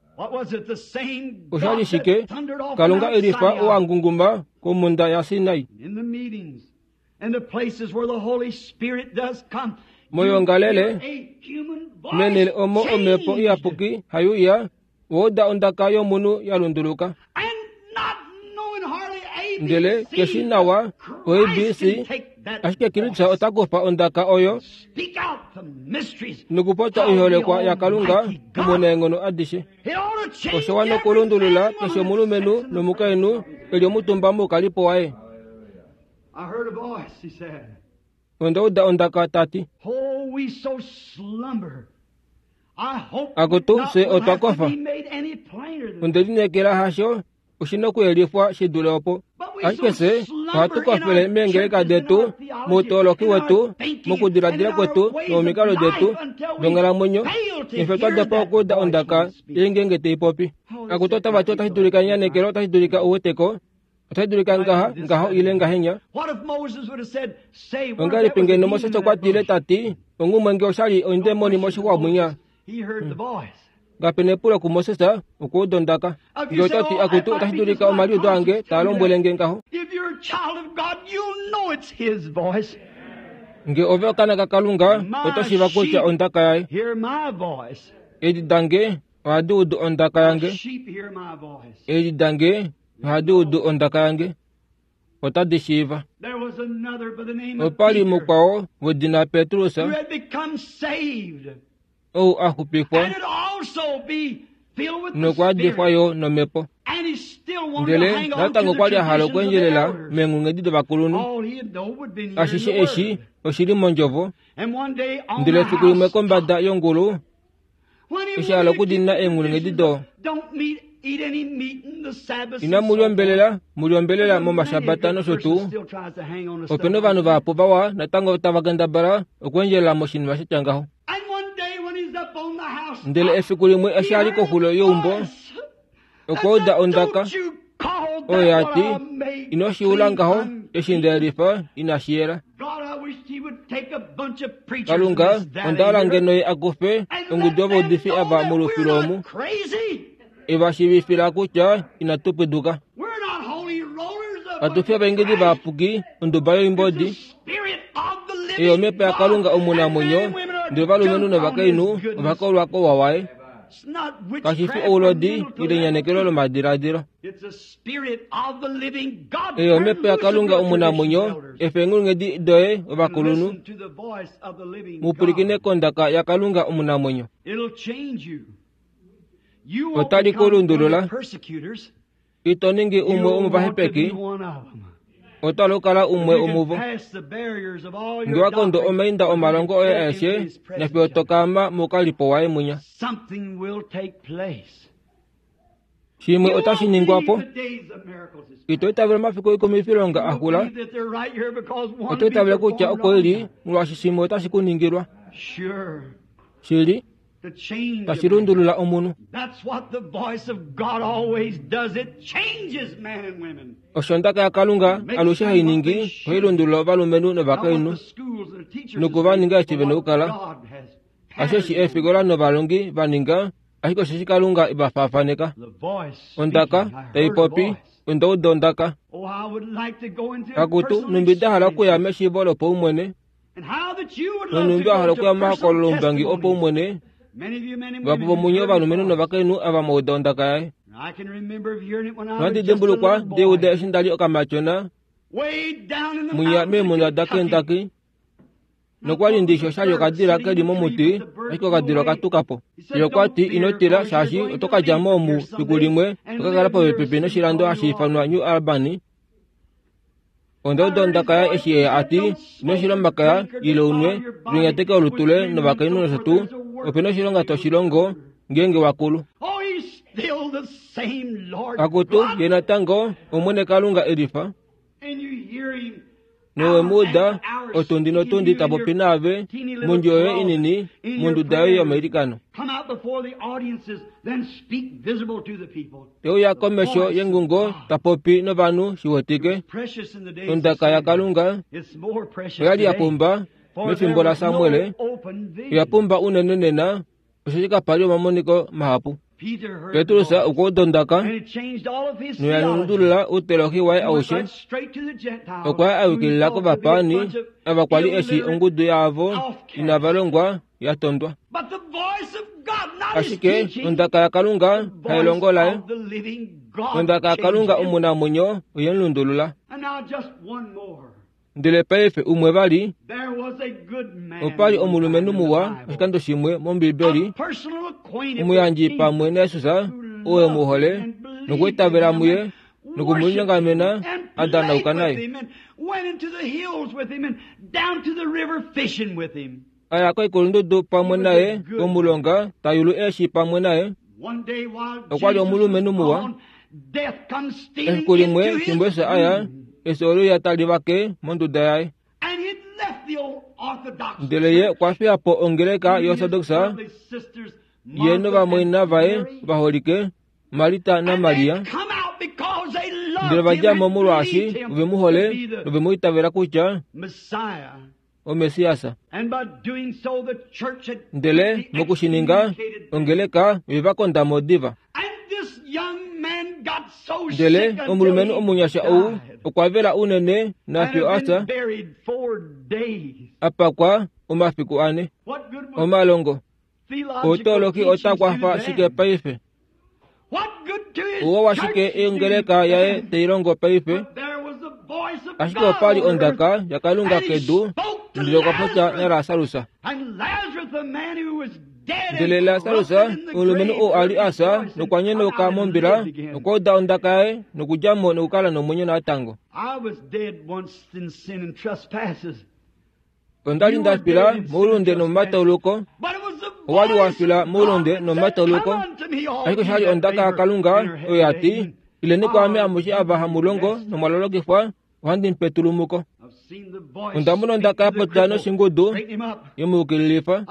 Oshali shike? Kalunga elifa ou a ngunguma komhunda yaSinai. Moyoongalele menele omo omhepo iyapuki haiuya, wauda ondaka yomunhu ya lunduluka. Ndele keshi nawa o A B C, ashike Kristus ota kufa ondaka oyo nokupopya oiholekwa yaKalunga omunaenghono adishe. Osho wana okulundulula keshe omulumenhu nomukainhu eli omutumba moukalipo waye. Onda uda ondaka tati, Akutu fye otwa kofa. Onde lineekela hasho oshina okuyelifwa shi dule opo. Ashike fye ohatu kofele meengeleka detu, moutoloki wetu, mokudiladila kwetu nomomikalo detu donghalamwenyo, nefyo twa dopa okuuda ondaka ei ngeenge taipopi. Akutu otava ti otashi dulika enyanekelo, otashi dulika ouweteko, otashi dulika ngaha, ngaho ile ngahenya. Ongahelipi ngeno Moses okwa tile tati onghumwe nge oshali ondemoni moshixwa mwinya? Kapena epulo kuMoses okuuda ondaka. Nge otati akutu otashi dulika omaliudo ange taa lombwele nge ngaho. Nge ove okaana kaKalunga oto shiiva kutya ondaka yaye. Eedi dange ohadi udu ondaka yange. Eedi dange ohadi udu ondaka yange. Otadi shiiva. Opali mukwao wedina Petrus ou a xupifwa nokwa difwa yo nomhepo. Ndele natango okwa li a hala okweendjelela meenghulunghedi dovakulunhu. Ashishe eshi oshili mondjovo. Ndele efiku limwe kombada yongulu eshi a hala okudina eenghulunghedi do inamu liombelela, muliombelelela momashabata nosho tuu. Opena ovanhu vahapu vawa natango tava kendabala okweendjelela moshinima shatya ngaho. Ndele efiku limwe eshi a li koxulo yeumbo okwa uda ondaka oyo ya ti, ino shi ula ngaho eshi nda yelifa inashi yela. Kalunga onda hala ngeno ye a kufe ongudu yovaudifi ava molufilo omu eva shiivifila kutya inatu pwiduka. Katu fi ovaingidi vayapuki onduba yoimbodi. Eyo omhepo yaKalunga omunamwenyo, ndele ovalumenhu novakainhu ova kolwa kouwa waye. Kashi fi oulodi ile enyanekelo lomadiladilo. Eyo omhepo yaKalunga omunamwenyo, efa eenghulunghedi doye ovakulunhu. Mupwilikine kondaka yaKalunga omunamwenyo. Otali ku lundulula. Ito ningi umwe womovahepeki, oto hala okukala umwe womuvo. Nge wa kondo omainda omalongo oye aeshe, nafiyo to kaama moukalipo waye mwinya. Shimwe otashi ningwapo. Ito itavela omafiku oikumwifilonga axula. Oto itavela kutya oko ili molwaashi shimwe otashi kuningilwa. Shili tashi lundulula omunhu. Osho ondaka yaKalunga alushe hai ningi, ohai lundulula ovalumenhu novakainhu nokuva ninga eshi vena okukala. Asheshi eefikola novalongi vaninga, ashike osheshi Kalunga evafaafaneka. Ondaka taipopi, onda uda ondaka. Akutu, numbi nda hala okuya meshiivo lopaumwene, nonumbi wa hala okuya momahokololo oumbangi opaumwene, vahapu vomunye ovalumenhu novakainhu ava mwauda ondaka yaye. Nohandi dimbulukwa ndeuda eshi ndali okamatyona mwinya meemhunda daKentucky, nokwali ndishi oshali okadila keli momuti, ashike okadila okatuka po. Ye okwa ti, ino tila, shaashi oto ka dja mo omu fiku limwe oka kala popepi noshilando hashi ifanwa New Albany. Onda uda ondaka yaye eshi ye ati, ino shila omakaya ile unwe, linyateke olutu loye novakainhu nosho tuu, ope na oshilonga toshilongo ngeenge wakulu. Akutu, ye natango Omwene Kalunga elifa. Nowemuuda otundi notundi tapopi naave mondjo yoye inini monduda yoye yomailikano. Teuya komesho yengungo tapopi novanhu shiwetike. Ondaka yaKalunga oyali ya pumba mefimbo laSamuel, oya pumba unene nena, osheshi kapali omamoniko mahapu. Petrus okwa uda ondaka noya lundulula outeolohi waye aushe. Okwa ya a yukilila kovapaani ava kwali eshi ongudu yaavo inava longwa ya tondwa. Ashike ondaka yaKalunga hailongo laye, ondaka yaKalunga omunamwenyo oye mu lundulula. Ndele paife umwe vali, opali omulumenhu muwa oshikando shimwe mOmbibeli, omuyandji pamwe naJesus oo e mu hole nokwiitavela muye nokumulinyongamena a danauka naye. Aya koikulundudu pamwe naye komulonga tayulu eeshi pamwe naye. Okwali omulumenhu muwa. Efiku limwe fimbo Jesus aya, efyo oluya tali vake monduda yaye. Ndele ye okwa fiya po ongeleka yoOrthodox ye novamwaina vaye vaholike Marita naMaria. Ndele vadja mo molwaashi ove mu hole nove mu itavela kutya oMessias. Ndele mokushininga ongeleka oye va konda mo diva. Ndele omulumenhu omunyasha ou okwa vela unene nafyo asa apakwa omafiku ane. Omalongo outeolohi ota kwafa shike paife? Ouwa washike ongeleka yaye tailongo paife? Ashike opali ondaka yaKalunga kedu, ndele okwa popya naLasarus. Ndele Lasarus, omulumenhu ou a li asa nokwa nyenauka mombila, okwa uda ondaka yaye nokudja mo nokukala nomwenyo natango. Onda li nda fila moulunde nomomatauluko. Owa li wa fila moulunde nomomatauluko. Ashike oshali ondaka yaKalunga oyo ya ti, ileni kwaame amushe ava hamu longo nomwalolokifwa, ohandi mu pe etulumuko. Onda mona ondaka ya popya noshingudu yemuyukililifa.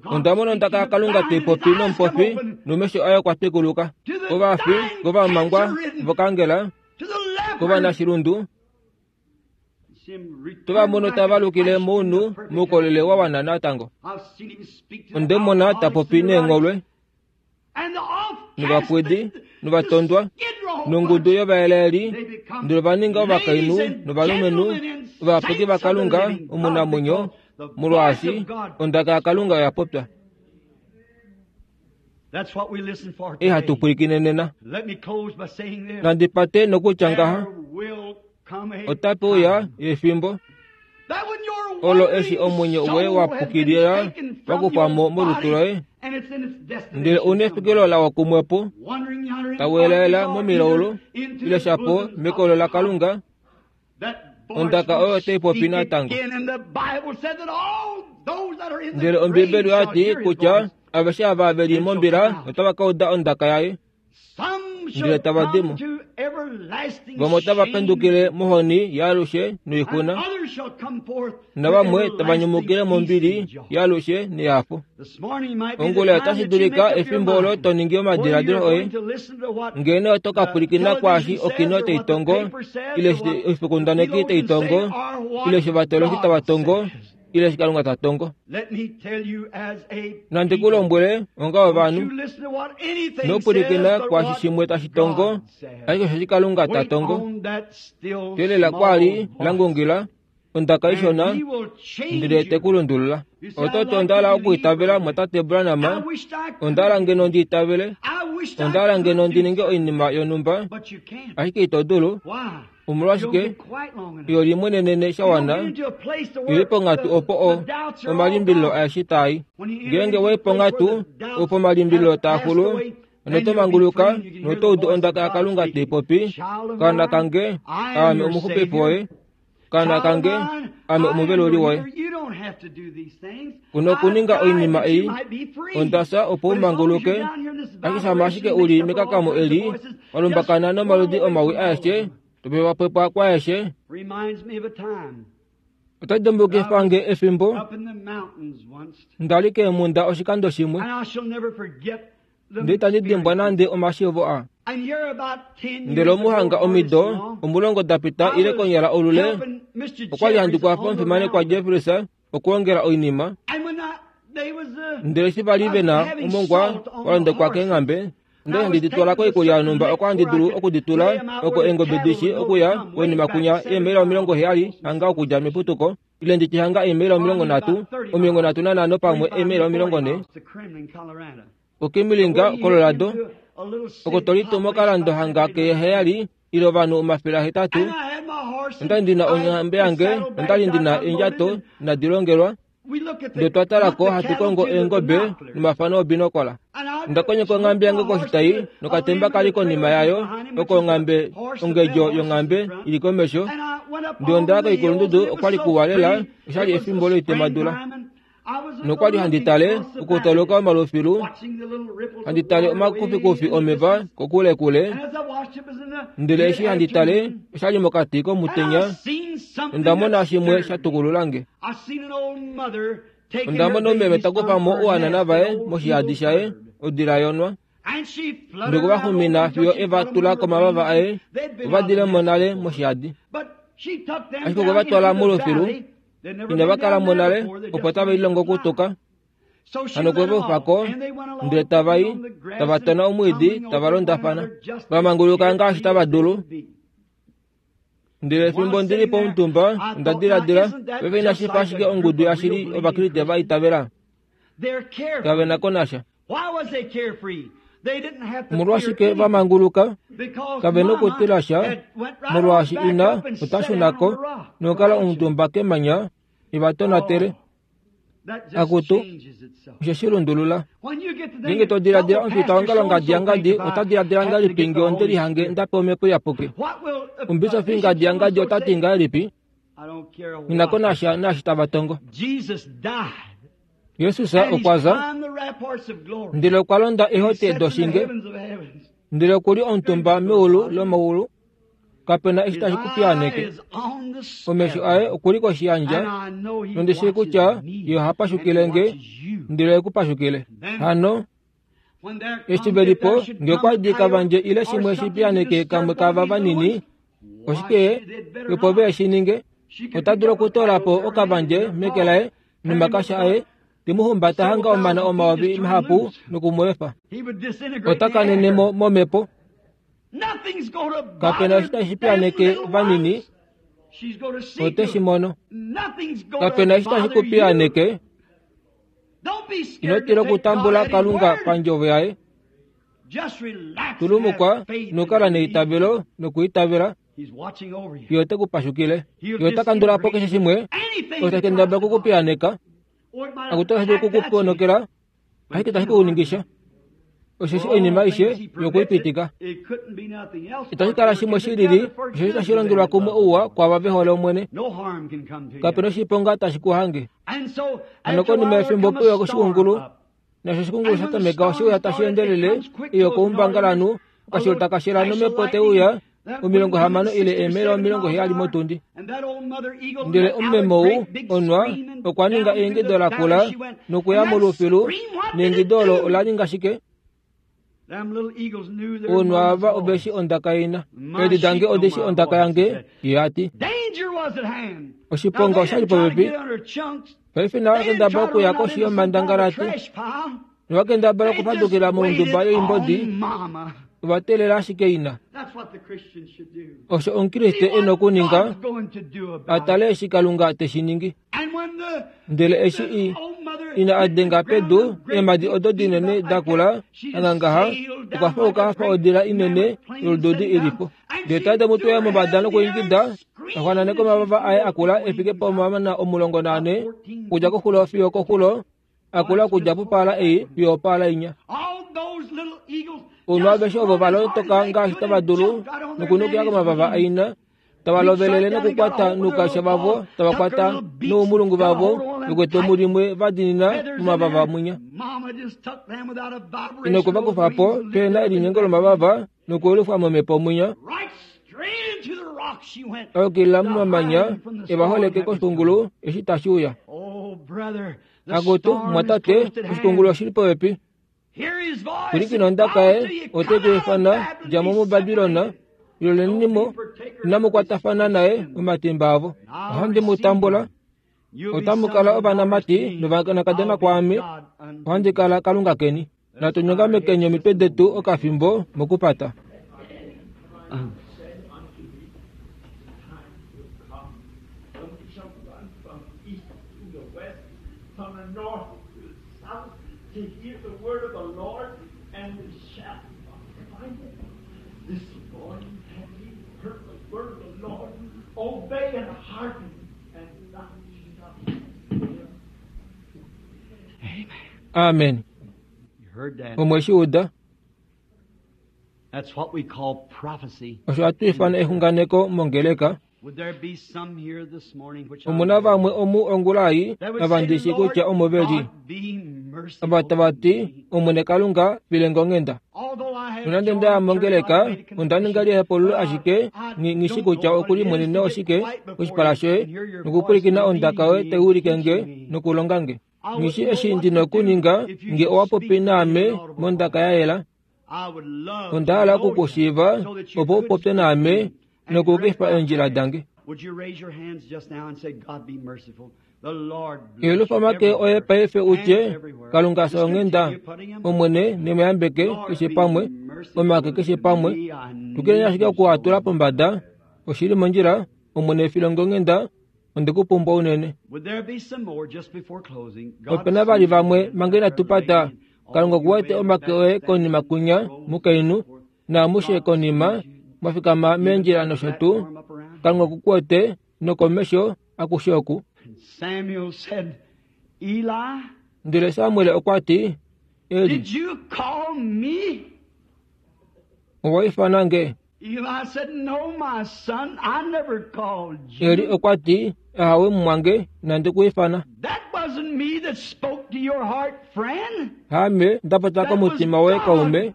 Onda mona ondaka yaKalunga taipopi nomupofi nomesho aye okwa twikuluka. Kovafi, kovamangwa vokangela, kovanashilundu, tovamono tava lukile mounhu moukolele wa wana natango. Onde mona tapopi neengholwe novapwidi novatondwa nongudu yovaeleli, ndele va ninga ovakainhu novalumenhu ovayapuki vaKalunga omunamwenyo, molwaashi ondaka yaKalunga oya popya. Ihatu pwilikine nena. Nandi pate nokutya ngaha, otape uya efimbo olo eshi omwenyo woye wa pukilila wa kufwa mo molutu loye, ndele una efikilo lawa kumwepo, tawelaela momilaulu ile shapo mekolo laKalunga. Ondaka oyo otai popi natango. Ndele Ombibeli oya ti kutya aveshe ava ve li mombila otava ka uda ondaka yaye. Ndele tava dimo. Vamwe otava pendukile mohoni yaalushe noixuna, navamwe tava nyumukile mombili yaalushe nehafo. Ongula otashi dulika efimbo olo to ningi omadiladilo oye, ngeno oto ka pwilikina kwaashi okino taitongo, ile oifokundaneki taitongo, ile eshi ovatoloki tava tongo, ile eshi Kalunga ta tongo. Nandi ku lombwele onga ovanhu, nopwilikina kwaashi shimwe tashi tongo, ashike osheshi Kalunga ta tongo. Teelela kwali langungila ondaka ishona, ndele te ku lundulula. Oto ondala okuitavela mwatate Branham, ondala ngeno ndi itavele, ondala ngeno ndi ninge oinima yonhumba, ashike ito dulu. Omolwashike iyo limwenenene shawana ili ponghatu opo o omalimbililo aeshe taai. Ngeenge wai ponghatu opo omalimbililo taaxulu, noto manguluka noto udu ondaka yaKalunga taipopi, kaana kange, aame omuxupifi woye, kaana kange, aame omuveluli woye. Kuno okuninga oinima ei, ondasa opo umanguluke, ashike shama ashike uli mekakamo eli, walumbakana nomaludi omawi aeshe, topepwapwepwa kwaeshe. Ota dimbukifange efimbo ndali keemhunda oshikando shimwe, ndele itandi dimbwa nande omashiivo a. Ndele omuhanga omido omulongo dapita ile konyala olule, okwali handi kwafa omufimanekwa Jeffries okuongela oinima. Ndele eshi vali vena omongwa wa londekwa keenghambe, ndele handi ditwala koikulya yonhumba oko handi dulu okuditula oko eengobe dishi okuya koinima kunya eemaila omilongo heyali hanga okudja meputuko, ile nditye hanga eemaila omilongo nhatu, omilongo nhatu nanhano pamwe eemaila omilongo nhe. Okimilinga Colorado, oko tolitumo okalando hanga keheyali ile ovanhu omafele ahetatu. Ondali ndina onghambe yange, ondali ndina eendjato inadi longelwa, ndele twa talako hatu kongo eengobe nomafano obinokola. Onda konyeka onghambe yange koshitayi nokatemba kali konima yayo, oko onghambe ongedjo yonghambe ili komesho. Ndele ondaya koikulundudu okwali kuwa lela, oshali efimbo loitemadula. Nokwali handi tale okutoloka omalufilu, handi tale omakufikufi omeva kokulekule. Ndele eshi handi tale oshali mokati komutenya, onda mona shimwe sha tukululange. Onda mona omeme ta kufamo ouhanana vaye moshihadi shaye, odila yonwa. Ndele okwa xumina fiyo eva tula komavava aye, ova dilemo nale moshihadi. Ashike okwe va twala molufilu, inava kala mo nale, opo tave lilongo okutuka. Hano okwe va ufako, ndele tava i, tava tona omwiidi, tava londafana, va manguluka ngaashi tava dulu. Ndele fimbo ndili pomutumba, onda diladila, paife inashi fa ashike ongudu yashili Ovakriste va itavela. Kave na ko nasha. Omolwashike va manguluka? Kave nokutila sha, molwaashi ina ota shunako nokukala omutumba kemanya eva tonatele. Akutu, osho shi lundulula. Ngeenge to diladila omufita wongalo ngadi yangadi, ota diladila ngahelipi ngee onde lihange ndapewa omhepo iyapuki? Omubisofi ngadi yangadi ota ti ngahelipi? Nghi ko nasha naashi tava tongo. Jesus okwa za, ndele okwa londa eehote doshinge, ndele okuli omutumba meulu lomaulu. Kapena eshi tashi kupiyaaneke. Omesho aye okuli koshiyandja, nondi shii kutya ye oha pashukile nge, ndele ohe ku pashukile. Hano eshi ve lipo, ngee okwa dika vandje ile shimwe shi piyaaneke kamwe kaava vanini, oshike opo ve shi ninge? Ota dulu okutoola po okavandje meke laye nomakasha aye, te mu humbata hanga omana omayovi mahapu noku mu efa. Ota kanene mo momhepo. Kapena eshi tashi piyaaneke vanini, ote shi mono. Kapena eshi tashi ku piyaaneke. Ino tila okutambula Kalunga pandjovo yaye. Tulumukwa nokukala neitavelo nokuitavela, ye ote ku pashukile. Ye ota kandula po keshe shimwe osho tashi kendabala okukupiyaaneka. Akutu otashi dulu okukuponokela, ashike itashi ku ningisha. Osheshi oinima aishe yokuipitika. Itashi kala shimwe shilili, osheshi tashi longelwa kumwe ouwa kwaava ve hole Omwene. Kapena oshiponga tashi ku hange. Hano konima yefimbo peuya oshikungulu, Nasho oshikungulu sha tameka oshiuya tashi endelele iyo koumbangalanhu okashilo takashela nomhepo teuya omilongo hamano ile eemela omilongo heyali motundi. Ndele omumemo ou onwa okwa ninga eingido lakula nokuya molufilu neingido olo ola ninga shike? Ounwa ava oveshi ondaka ina. Eedi dange odeshi ondaka yange, ye ati. Oshiponga oshali popepi. Paife nawa kendaba okuya koshi yomandangalati. Nowa kendabala okufadukila mounduba yoimbodi. Ovateelela ashike ina. Osho omukriste e nokuninga, atale eshi Kalunga teshi ningi. Ndele eshi i ina adenga pedu eemhadi odo dinene dakula angangaha okwa fauka afa odila inene yolududi ilipo. Ndele tade mutweya mombada nokuingida axwananeka omavava aye akula efike pomamana omulongo naane okudja koxulo fiyo koxulo akula okudja popaala ei fiyo opaala inya. Ounwa aveshe ovo valotoka ngaashi tava dulu nokunukila komavava aina tava lovelele nokukwata noukasha vavo tava kwata noumulungu vavo vekwete omulimwe vadinina momavava mwinya. Inokuva kufapo pena elinyengo lomavava nokuelufwa momhepo mwinya. Ayukilila momamanya evaholeke koshikungulu eshi tashi uya. Akutu mwatate, oshikungulu oshili popepi. Pwilikina ondaka ye ote ku ifana dja mo muBabilona ilolenimo inamukwatafana naye momatimba avo. Ohandi mu tambula. Otamu kala ovanamati novanakadona kwaame. Ohandi kala Kalunga keni. Natu nyongamekeni omitwe detu okafimbo mokupata. To hear the word of the Lord, and we shall find it. This morning have ye heard the word of the Lord? Obey and hearken, and thou shalt live. Amen. You heard that. Omweshi uda. That's what we call prophecy. Osho hatu ifana exunganeko mongeleka. Would there be some here this morning which I Omuna vamwe omu ongulai navandishi kutya omo veli. be Ava merciful tava ti to me. Omwene Kalunga filenge onghenda. Although I have Nonande nda joined mongeleka church, I've made a onda ninga confession, lihepululo but I- ashike I ngi- ngishi don't kutya know what okuli it is mwenene to get oshike right before koshipala you shoye and hear your nokupwilikina voice ondaka yoye leading me tai ulike and nge teaching me. nokulonga nge. I Ngishi wouldn't know eshi what ndi to do nokuninga if you nge should owa popi speak in naame an audible mondaka voice. ya yela. I would love to Onda hala know you okukushiiva so that you opo could upopye speak to naame me and direct nokuukifa my eendjila path. dange. Would you raise your hands just now and say, God be merciful? The Lord bless Yelufa you make oye everywhere. paife Hands utye everywhere. Kalunga Just fya onghenda continue putting them. Omwene nemuyambeke Lord, keshe be pamwe merciful omake keshe to pamwe me. I tukile need ashike you okuatula so. pombada oshili mondjila Omwene filonge onghenda ondekupumbwa unene. Would there be some more just before closing? God Opena vali sees vamwe you, mange inatu pata and all Kalunga you okuwete way in the omake back oye standing konima in the kunya rows mukainhu and so forth. naamushe God konima sees you. mwafikama Even meendjila the nosho tuu platform up around. Kalunga okukwete nokomesho akushe oku. And Samuel said, Eli, Ndele Samuel okwa ti, Eli, did you call me? owa ifana nge? Eli said, No, my son, I never called Eli you. okwa ti, Ahawe mumwange, nandi ku ifana. That wasn't me that spoke to your heart, friend. Haame ndapota That was komutima woye kaume, God.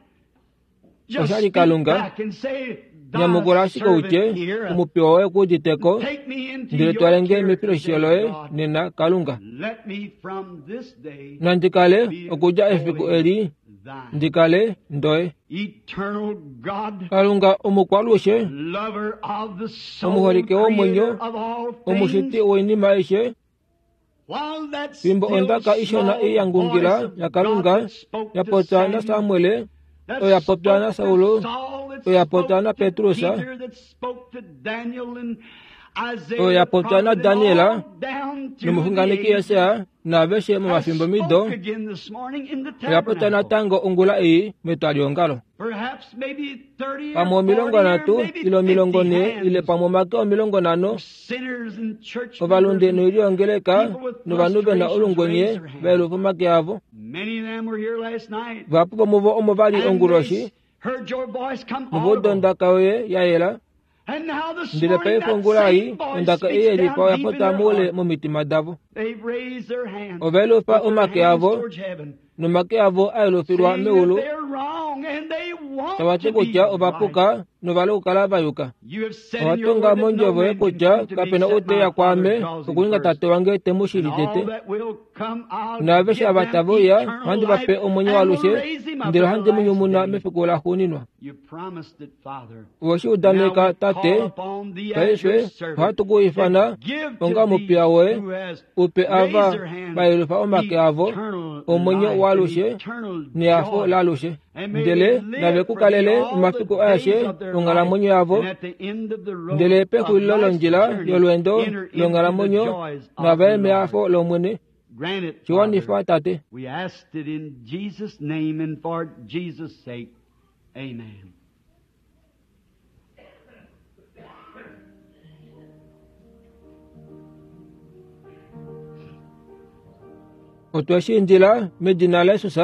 Just oshali speak Kalunga. back and say, Thy Nyamukula ashike servant utye, here, omupiwa woye kuuditeko, take me into ndele your twalenge care mefiloshisho today, loye God. nena Kalunga. Let me from this day Nandi kale be okudja efiku wholly eli, thine. ndi kale ndoye. Eternal God, Kalunga omukwalushe, lover of the soul, omuholike womwenyo, creator of all omushiti things, woinima aishe, while that fimbo still ondaka ishona small ei ya voice ngungila of God yaKalunga that spoke ya to popya na Samuel, Samuel, that oyo ya popya na spoke to Saulo, Saul, that oyo ya popya spoke na to Petrus, Peter, that spoke to Daniel and Isaiah oyo ya the popya na prophet, and Daniel, all down through the nomuxunganeki ages, Jesaja naaveshe has momafimbo mido, spoke again this morning in the oya popya tabernacle. natango ongula ei metwaliongalo. Perhaps maybe thirty or Pamwe omilongo forty or nhatu maybe ile omilongo fifty nhee ile hands pamwe omake omilongo nhano of sinners and church members ovalunde and noiliongeleka people with novanhu vena frustrations raised olungwenye their hands. vaelufa omake avo. Many of them were here last night. Vahapu vomuvo omo vali And onguloshi they heard your voice come novo uda audible. ondaka yoye ya yela Ndele paife ongula ei ondaka ei yelifa oya pota moule momitima davo. Ova elufa omake avo nomake avo a elufilwa meulu, tava ti kutya ova puka nova okukala va yuka. Owa tonga mondjovo yoye kutya kapena ou te ya kwaame okuninga tate wange te mu shili tete. Naaveshe ava tave uya ohandi va pe omwenyo waalushe, ndele ohandi mu nyumuna mefiku laxuuninwa. Owe shi udaneka, Tate. Paife ohatu ku ifana onga omupiya woye, upe ava va yelufa omake avo omwenyo waalushe nehafo laalushe, ndele nave ku kalele omafiku aeshe onghalamwenyo yavo, ndele pexulilo londjila yolweendo longhalamwenyo nava ye mehafo lOmwene. Shiwanifa, Tate. We asked it in Jesus' name and for Jesus' sake. Amen. Otwe shi indila medina laYesus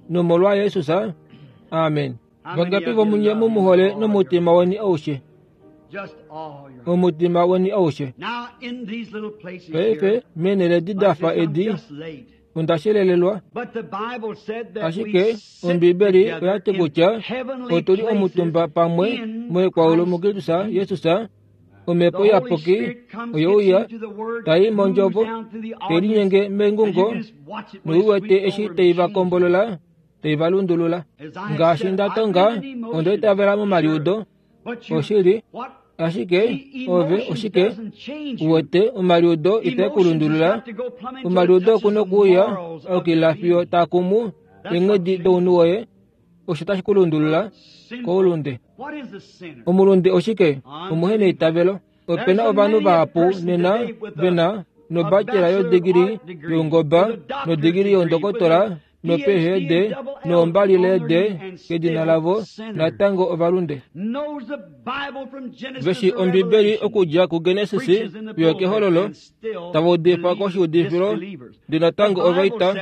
nomolwa Yesus. Amen. Vangapi vomunye mumuhole nomutima weni aushe? Omutima weni aushe. Paife meenhele edi dafa edi onda shelelelwa, ashike Ombibeli oya ti kutya otuli omutumba pamwe moikwaulu muKristus Jesus. Omhepo Iyapuki oyeuya tai mondjovo te linyenge mengungo noiwete eshi tei va kombolola tei va lundulula. Ngaashi nda tonga onda itavela momaliudo oshili, ashike ove oshike uwete omaliudo itae ku lundulula. Omaliudo oku nokuuya okila fiyo taa kumu eenghedi dounhu woye, osho tashi ku lundulula koulunde. Omulunde oshike? Omuhe neitavelo. Opena ovanhu vahapu nena vena nobachelor yodigiri youngoba, nodigiri youndokotola, no P H D, noombali leede kedina lavo, natango ovalunde. Veshi Ombibeli okudja kuGenesis fiyo kehololo, tava udifa koshiudifilo, ndele natango ovaita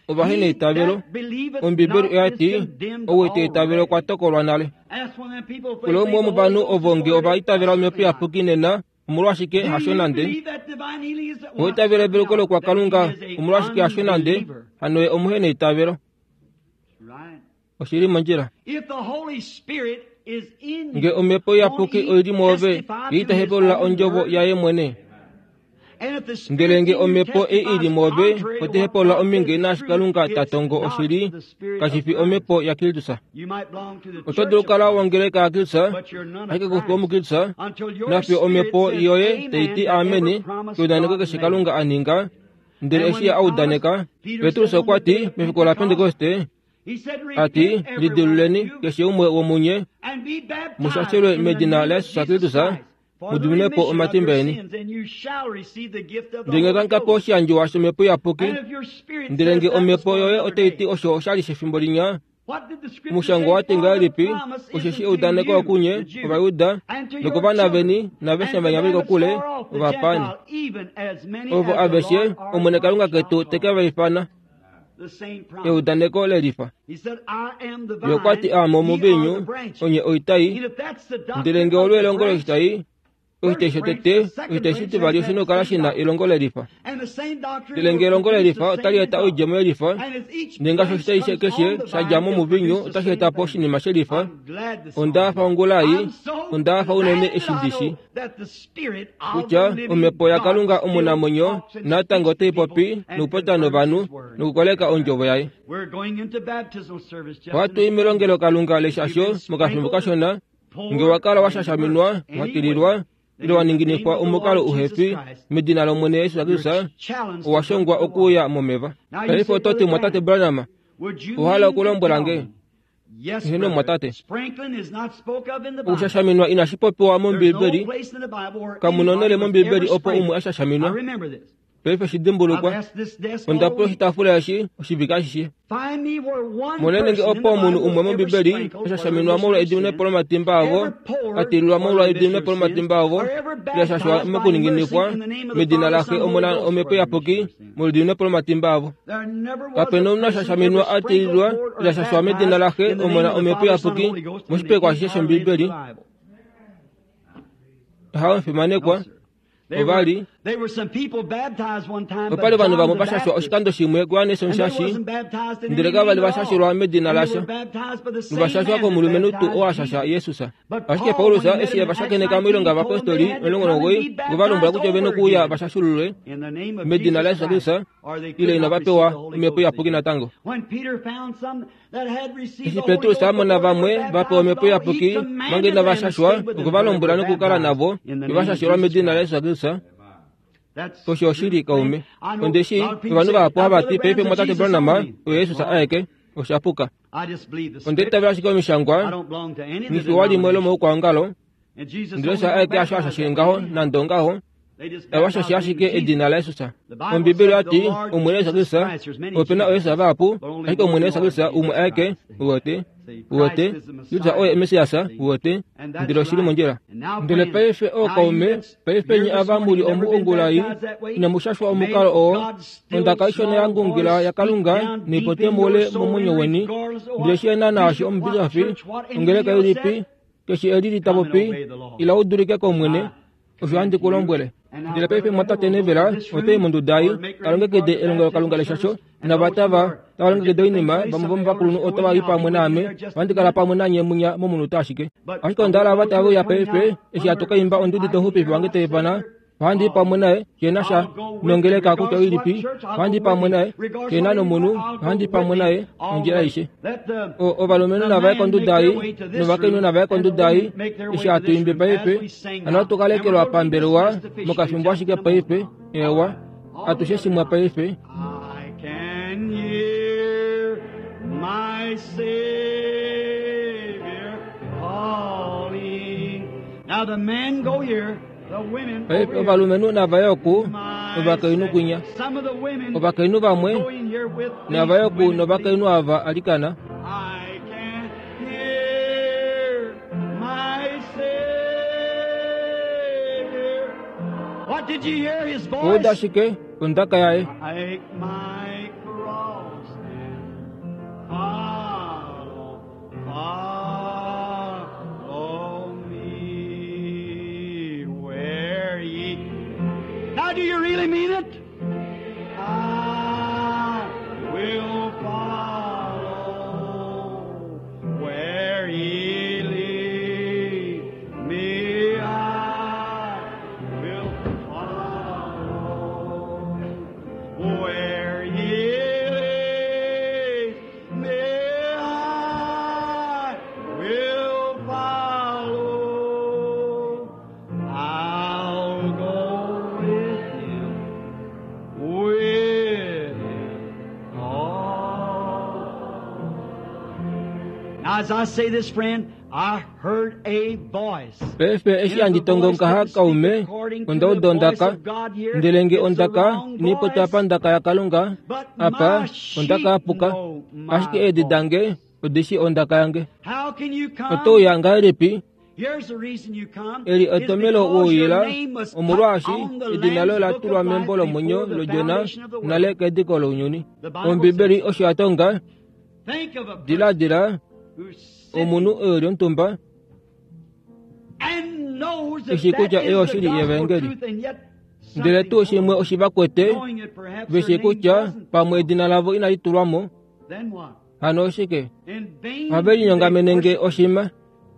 ovahe neitavelo. Ombibeli oya ti ou ita itavele okwa tokolwa nale. Kula umwe womovanhu ovo nge ova itavela Omhepo Iyapuki nena, omolwashike hasho nande? Owa itavela eveluko lokwakalunga, omolwashike hasho nande? Hano ye omuhe neitavelo. Oshili mondjila. Nge Omhepo Iyapuki oili mwoove, ye ita hepulula ondjovo yaye mwene. Ndele nge omhepo ei ili mwoove otai hepulula ominge naashi Kalunga ta tongo oshili, kashi fi omhepo yaKristus. Oto dulu okukala wongeleka yaKristus, ashike kufi omuKristus, nafiyo omhepo yoye tai ti ameni keudaneko keshe Kalunga a ninga. Ndele eshi a udaneka, Petrus okwa ti mefiku laPentekoste, ati lidiluleni keshe umwe womunye mushashelwe medina laYesus Kristus, mudiminepo omatimba eni. Ndele nge otamu kapewa oshiyandjiwa shOmhepo Iyapuki, ndele nge omhepo yoye otai ti osho oshali shefimbo linya, omushango wa ti ngahelipi? Osheshi eudaneko okunye Ovajuda nokovana veni naaveshe venya veli kokule ovapaani, ovo aveshe Omwene Kalunga ketu te ke va ifana. Eudaneko lelifa. Ye okwa ti aame omuviinyu, onye oitai. Ndele nge olo elongo loshitai, oshitai shotete, oshitai shitivali oshi na okukala shi na elongo lelifa. Ndele nge elongo lelifa otali eta oidjemo yelifa, ndele ngaashi oshitai keshe sha dja momuviinyu otashi eta po oshinima shelifa. Onda hafa ongula ei, onda hafa unene eshi ndi shi kutya Omhepo yaKalunga omunamwenyo natango otai popi nokupopya novanhu nokukoleka ondjovo yaye. Ohatu i melongelokalunga leshasho mokafimbo kashona. Nge wa kala wa shashaminwa, wa tililwa, ile wa ninginifwa omukalo uhefi medina lOmwene Yesus Kristus, owa shongwa okuuya momeva. Paife oto ti, Mwatate Branham, owa okulombwela nge? Heeno, mwatate. Okushashaminwa inashi popiwa mOmbibeli. Kamu na onhele mOmbibeli opo umwe a shashaminwa. Paife shi dimbulukwa, onda pula oshitaafula eshi oshivike ashishe. Monene nge opo omunhu umwe mOmbibeli a shashaminwa molwa ediminepo lomatimba avo, a tililwa molwa ediminepo lomatimba avo, ile a shashwa mokuninginifwa medina laXe, Omona, Omhepo Iyapuki molwa ediminepo lomatimba avo. Kapena omunhu a shashaminwa a tililwa ile a shashwa medina laXe, Omona, Omhepo Iyapuki moshipekwa ashishe shOmbibeli. Haofimanekwa ovali opali ovanhu vamwe vashashwa oshikando shimwe kuYohannes Omushashi, ndele kavali vashashilwa medina lasha, novashashwa komulumenhu tuu oo ashasha Jesus. Ashike Paulus eshi evashakeneka moilonga yovapostoli omulongo nomugoyi, okwe va lombwela kutya ovena okuuya vashashululwe medina laJesus Kristus, ile inava pewa Omhepo Iyapuki natango. Eshi Petrus a mona vamwe va pewa Omhepo Iyapuki manga inava shashwa, okwe va lombwela nokukala navo vevashashilwa medina laJesus Kristus. Osho oshili kaume. Ondeshi ovanhu vahapu hava ti paife mwatate Branham oye Jesus aeke, osha puka. Ondeitavela ashike omishangwa nifiwa limwe lomoukwaongalo, ndele osho aeke asho ashashile ngaho nande ongaho, awashashe ashike edina laJesus. Ombibeli oyati Omwene Jesus Kristus, opena ooJesus vahapu, ashike Omwene Jesus Kristus umwe aeke, uwete, uwete, Jesus oye Messias, uwete, ndele oshili mondjila. Ndele paife ookaume, paife nye ava muli omu ongulai, inamushashwa omukalo oo, ondaka ishona yangungila yaKalunga niipote muule momwenyo weni, ndele shiena naashi omubisofi, ongeleka ilipi, keshe eli litapopi, ila udulike kOmwene, osho handi ku lombwele. Ndele paife mwatate Neville otai monduda ei talongekide elongelokalunga leshasho, navatava tava longekida oinima, vamwe vomovakulunhu otava i pamwe naame, ohandi kala pamwe nanye munya momunute ashike. Ashike onda hala ava tave uya paife eshi hatu kaimba ondudi domuxupifi wange taifana, ohandi i pamwe naye shena sha nongeleka kutya oilipi, ohandi i pamwe naye shena nomunhu, ohandi i pamwe naye ondjila aishe. Ovalumenhu nava ye konduda ei, novakainhu nava ye konduda ei, eshi hatu imbi paife, hano ohatu ka lekelwa pambelewa mokafimbo ashike paife, ewa, atushe shimwe paife. I can hear my Savior calling. Now the men go here, the women Paife over here. ovalumenhu nava ye oku, ovakainhu kwinya. Some of the women Ovakainhu vamwe go in here with these nava ye oku women. novakainhu ava alikana. I can hear my Savior. What did you hear his voice? Ouda ashike ondaka yaye. Take my cross and follow, follow me where ye. Now, do you really mean it? I will follow where ye lead me. I will follow where ye lead me. I will follow. I'll go with him, with him all. Now, as I say this, friend, I heard a voice. Paife eshi handi tongo ngaha kaume, onda uda ondaka, ndele nge ondaka inipota pandaka yaKalunga, apa ondaka yapuka, ashike eedi dange odishi ondaka yange. How can you come? Otouya ngahelipi? Here's the reason you come. Eli Is etomelo because your wouyila, name was put omolwaashi on the edina Lamb's loye la Book tulwa of Life membo lomwenyo before the lOdjona foundation of the world. nale kediko lounyuni. Ombibeli osho ya tonga, Think of a person diladila who's sitting omunhu eli omutumba and knows that eshi that kutya is eyo the oshili gospel yevangeli. truth, and yet Ndele something tuu shimwe oshivakwete knowing it perhaps veshi their name kutya wasn't. pamwe edina lavo inali tulwamo, Then what? hano oshike? In vain Ohave linyongamenenge they oshima,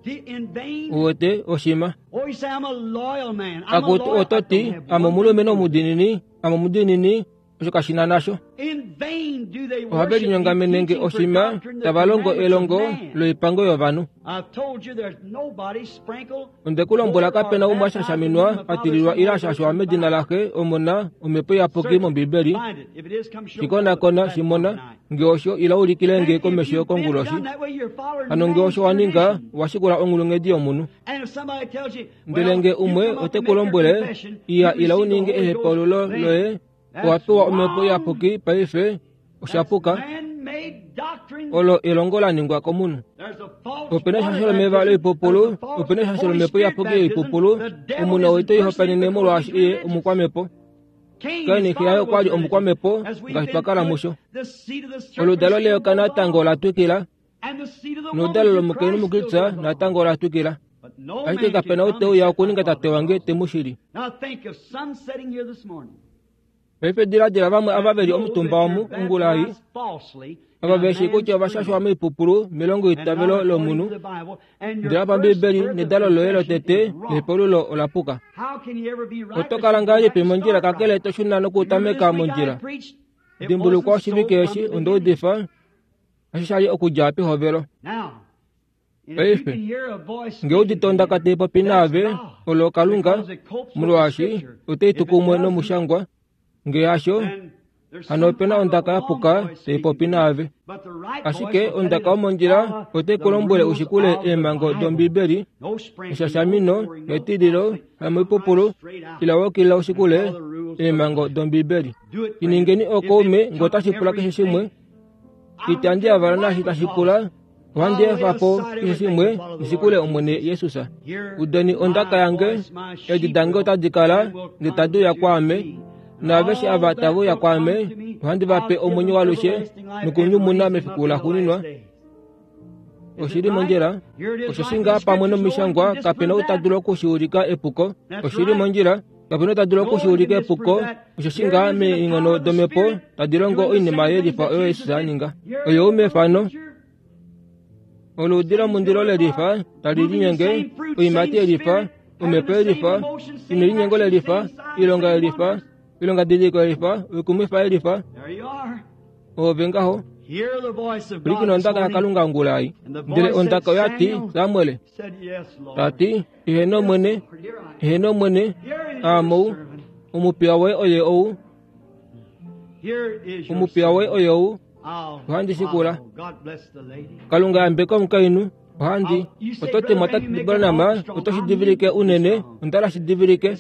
worship. In vain. uwete oshima. Oh, you say, I'm a loyal man. I'm a Akuti loyal. I ototi don't have ame one omulumenhu omudinini, ame omudiinini, osho kashina nasho. In vain do they Ohave worship me, linyongamenenge teaching for oshima, doctrine the tava longo commandments of elongo man. loipango yovanhu. I've told you there's nobody sprinkled Onde ku lombwela kapena umwe ashashaminwa atililwa ile ashashwa medina laxe Omona Omhepo Iyapuki mOmbibeli. Find it. If it is, come show me on the Shikonakona platform shimona tonight. nge osho ila ulikile nge And if komesho you've been konguloshi. done that way, you're following Hano nge man's osho wa ninga tradition. washikula onghulunghedi yomunhu. And if somebody tells you, Ndele well, nge you umwe come up ote and ku make your lombwele confession, iya you ila receive the uninge Holy Ghost ehepaululo then. loye That's owa pewa Omhepo wrong. Iyapuki paife That's oshapuka. man-made doctrine. Olo elongo la ningwa komunhu. There's a false Opena water eshasho lomeva baptism. loipupulu, There's a false opena eshasho Holy lomhepo Spirit iyapuki baptism. yoipupulu, The devil omunhu is oite impersonated ihopanene because molwaashi he's iye religious. omukwamepo. Cain, Kaini his xe yaye father, okwa was li religious. omukwamepo As we've ngaashi been twa kala through musho. it, the seed of the serpent Oludalo still leyoka goes natango on. ola twikila, And the seed of the woman noludalo through lomukainhu Christ still muKristus goes on. natango ola twikila. But Ashike kapena ou te uya okuninga tate wange te mu shili. Paife diladila vamwe ava veli omutumba omu ongula ei, ava veshi kutya ovashashwa moipupulu melongo itavelo lomunhu, ndele pambibeli nedalo loye lotete lepolulo olapuka. Oto kala ngahelipi mondjila kakele to shuna nokutameka mondjila? Dimbulukwa oshivike eshi onda udifa osho sha li okudja pehovelo. Paife nge udite ondaka tai popi naave, olo Kalunga, molwaashi otai tu kumwe nomushangwa. Nge hasho, hano opena ondaka yapuka tai popi naave. Ashike ondaka yomondjila otai ku lombwele ushikule eemhango dOmbibeli, eshashamino, etililo, hamoipupulu, ila wokila ushikule eemhango dOmbibeli. Iningeni okaume nge otashi pula keshe shimwe. Itandi yavala naashi tashi pula, ohandi efa po keshe shimwe nishikule Omwene Jesus. Udeni ondaka yange, eedi dange otadi kala ndele tadi uya kwaame, naaveshe ava tave uya kwaame, ohandi va pe omwenyo waalushe nokunyumuna mefiku laxuuninwa. Oshili mondjila, oshoshi ngaa pamwe nomishangwa kapena ou ta dulu okushiulika epuko. Oshili mondjila, kapena ou ta dulu okushiulika epuko. Oshoshi ngaa meenghono domhepo tadi longo oinima yelifa oyo Jesus a ninga. Oyo u mefano. Oluudi lomundilo lelifa tali linyenge, oiimati yelifa, omhepo yelifa, nelinyengo lelifa, oilonga yelifa, oilonga didiliko yelifa, oikumwifa yelifa. Ove ngaho. Pwilikina ondaka yaKalunga ongula ei. Ndele ondaka oya ti, Samuel, ta ti, eheno Omwene, eheno Omwene, aame ou, omupiya woye oye ou, omupiya woye oye ou, ohandi shikula. Kalunga yambeka omukainhu, ohandi. Oto ti Mwatate Branham, oto shi divilike unene, onda la shi divilike.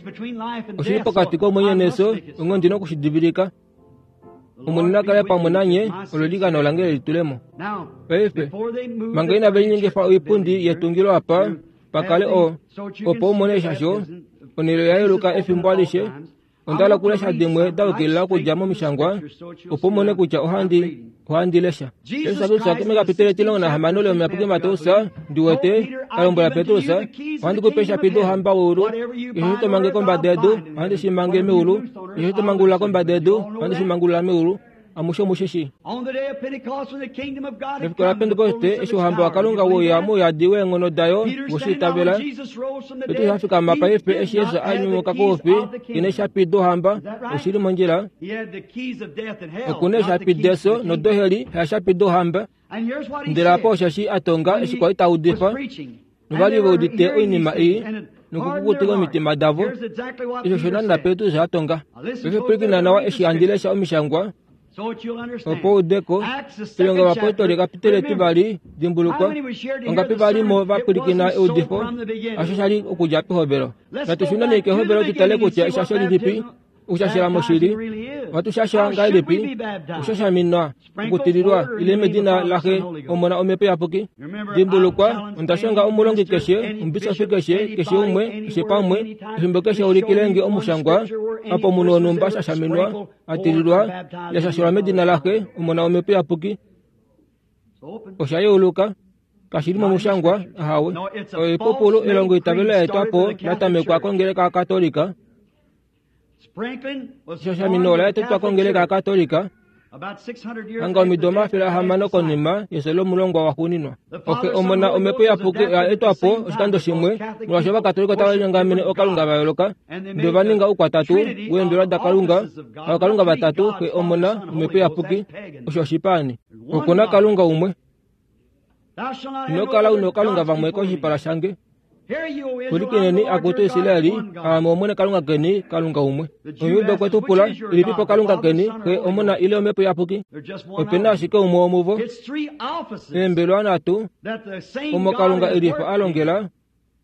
Oshili pokati komwenyo nefyo, onghee ndi na okushi divilika. Omwene na kale pamwe nanye, olo elikano lange lelitulemo. Paife, manga inave linyengifa oipundi yetungilo apa, pakale o, opo umone eshasho, onhele oya yeluka efimbo alishe. Onda hala okulesha dimwe da yukilila okudja momishangwa, opo umone kutya ohandi ohandi lesha. Jesus Kristus mekapitele etilongo nahamano lomuyapuki Mateus, ndi wete, a lombwela Petrus, ohandi ku pe eeshapi douhamba weulu, keshe to mange kombada yedu, ohandi shi mange meulu, keshe to mangulula kombada yedu, ohandi shi mangulula meulu. Amushe omushishi. Mefiku laPentekoste, eshi ouhamba waKalunga weuya mouyadi weenghono dayo woshiitavela, Petrus a fikama paife eshi Jesus a nyumuka koufi, ina eeshapi douhamba, oshili mondjila. Okuna eeshapi defyo nodoheli, haeshapi douhamba. Ndele apa osheshi a tonga eshi kwali ta udifa, novali ve udite oinima ei nokukukutika omitima davo. Osho osho naana Petrus a tonga. Paife pwilikina nawa eshi handi lesha omishangwa, opo udeko. Oilonga yovapostoli kapitele etivali, dimbulukwa, ongapi valimo va pwilikina eudifo, hasho sha li okudja pehovelo. Natu shuneni kehovelo tu tale kutya eshasho lilipi, okushashela moshili, ohatu shasha ngahelipi, okushashaminwa, okutililwa, ile medina laXe, Omona Omhepo Iyapuki. Dimbulukwa, onda shonga omulongi keshe, omubisofi keshe, keshe umwe, keshe pamwe, efimbo keshe ulikilenge omushangwa, apa omunhu wonhumba a shashaminwa, a tililwa, ya shashelwa medina laXe, Omona Omhepo Iyapuki. Osha yeuluka. Kashi li momushangwa, ahawe. Oipupulu elongo itavelo la etwa po la tamekwa kongeleka yaKatolika. Eshashamino ola etwa kongeleka yaKatolika hanga omido omafele ahamano konima yefyo lomulongwa waxuuninwa. Oxe, Omona, Omhepo Iyapuki oya etwa po oshikando shimwe, molwaashi Ovakatolika otava linyongamene ookalunga va yooloka, ndele ova ninga oukwatatu weembelwa daKalunga, ookalunga vatatu, Xe, Omona, Omhepo Iyapuki. Osho oshipaani. Oku na Kalunga umwe. Ino kala una ookalunga vamwe koshipala shange. Pwilikineni, akutu Israeli, aame Omwene Kalunga keni, Kalunga umwe. Omuyuda okwe tu pula, ilipipo Kalunga keni, Xe, Omona ile Omhepo Iyapuki? Opena ashike umwe womuvo. Eembelwa nhatu, omo Kalunga elifa a longela,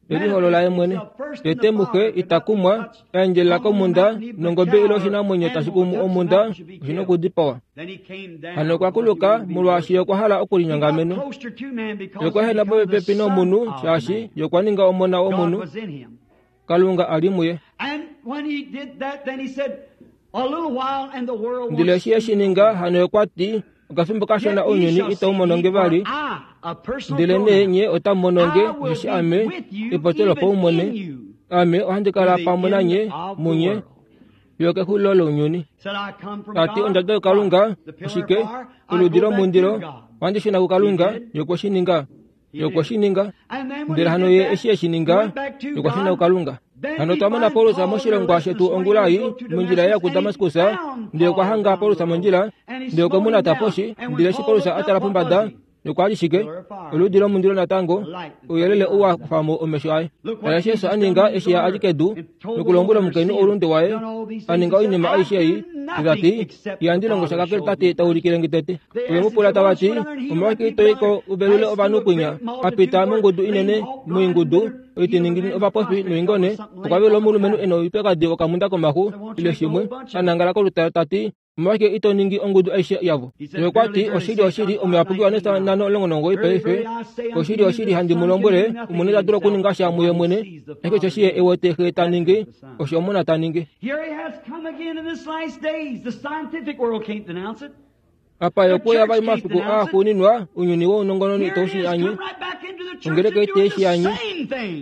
eliholola ye mwene. Tete muxe ita kumwa, a endjelela komhunda, nongobe ile oshinamwenyo tashi kumu omhunda, oshi na okudipawa. Hano okwa kuluka, molwaashi okwa hala okulinyongamena. Ye okwa ehena popepi nomunhu, shaashi ye okwa ninga omona womunhu, Kalunga a li muye. Ndele eshi e shi ninga, hano ye okwa ti, Okafimbo kashona ounyuni itau mono nge vali, ndele nee nye otamu mono nge, osheshi ame epopyo lopaumwene, ame ohandi kala pamwe nanye munye fiyo kexulilo lounyuni. Tati ondada yokalunga oshike? Oludi lomundilo ohandi shuna kuKalunga, ye okwe shi ninga. Ye okwe shi ninga. Ndele hano ye eshi e shi ninga, ye okwa shuna kuKalunga. Hano otwa mona Paulus moshilongwa shetu ongula ei mondjila ya kuDamaskus, ndele okwa hanga Paulus mondjila, ndele okwe mu nata poshi, ndele eshi Paulus a tala pombada, okwa li shike? Oludi lomundilo natango, ouyelele ou wa kufa mo omesho aye. Tala eshi Jesus a ninga eshi a li kedu, nokulombwela omukainhu oulunde waye, a ninga oinima aishe ei, tati ihandi longo sha kakele Tate ta ulikile nge tete. Ove mu pula tava ti, omolwashike ito i ko u velule ovanhu kwinya? A pita mongudu inene moingudu, oitiningini ovapofi noingone, okwa velula omulumenhu e na oupyakadi wokamunda komaxu ile shimwe, a nangala kolutala tati, omolwashike ito ningi ongudu aishe yavo? Ye okwa ti, oshili oshili, omuyapuki waNesta nhano omulongo nomugoyi paife, oshili oshili handi mu lombwele, Omwene ita dulu okuninga sha muye mwene, ashike osheshi ye e wete Xe ta ningi, osho Omona ta ningi. Apa ye okwe vali momafiku aaxuuninwa, ounyuni wounongononi itau shi anye, ongeleka ite shi anye,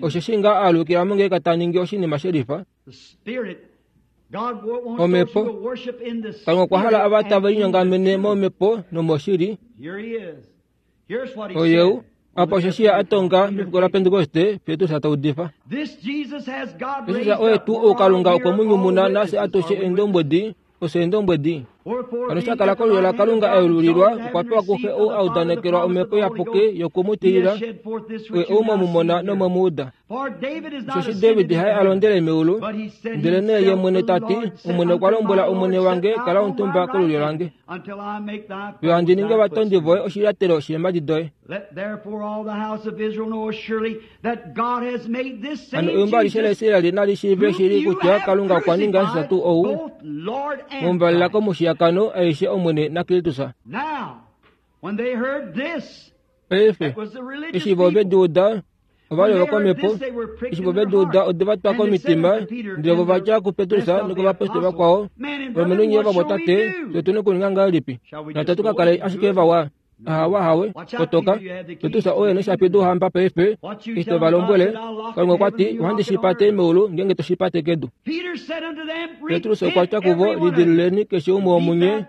osheshi ngaa aalukila mongeleka ta ningi oshinima shelifa. Omhepo Kalunga okwa hala ava tave linyongamene momhepo nomoshili. Oyeu apa osheshi a tonga mefiku laPentekoste, Petrus ta udifa. Jesus oye tuu ou Kalunga okwe mu nyumuna nafye atushe eendombwedi, ofye eendombwedi. Hano eshi a kala kolulyo laKalunga a yelulilwa, okwa pewa kuXe ou a udanekelwa Omhepo Iyapuki yoku mu tilila, oye ou mwe mu mona nomwe mu uda. Osheshi David haye a londele meulu, ndelenee ye mwene ta ti, Omwene okwa lombwela Omwene wange, kala omutumba kolulyo lange, fiyo handi ningi ovatondi voye oshilyatelo sheemhadi doye. Hano eumbo alishe laIsraeli nali shiive shili kutya Kalunga okwa ninga Jesus tuu ou, momuvalela komushiyakano aishe Omwene naKristus. Paife, eshi vo ve di uda, ova li ovakwamhepo, eshi vo ve di uda ode va twa komitima, ndele vo va dja kuPetrus nokovapostoli vakwao, valumenhu nye ovamwatate, fye otu na okuninga ngahelipi? Natu ka kale ashike vawa. Ahawa hawe, kotoka, Petrus oye noshapi douhamba paife, eshi to va lombwele, Kalunga okwa ti, ohandi shi pate meulu ngeenge to shi pate kedu. Petrus okwa tya kuvo, lidiluleni keshe umwe womunye,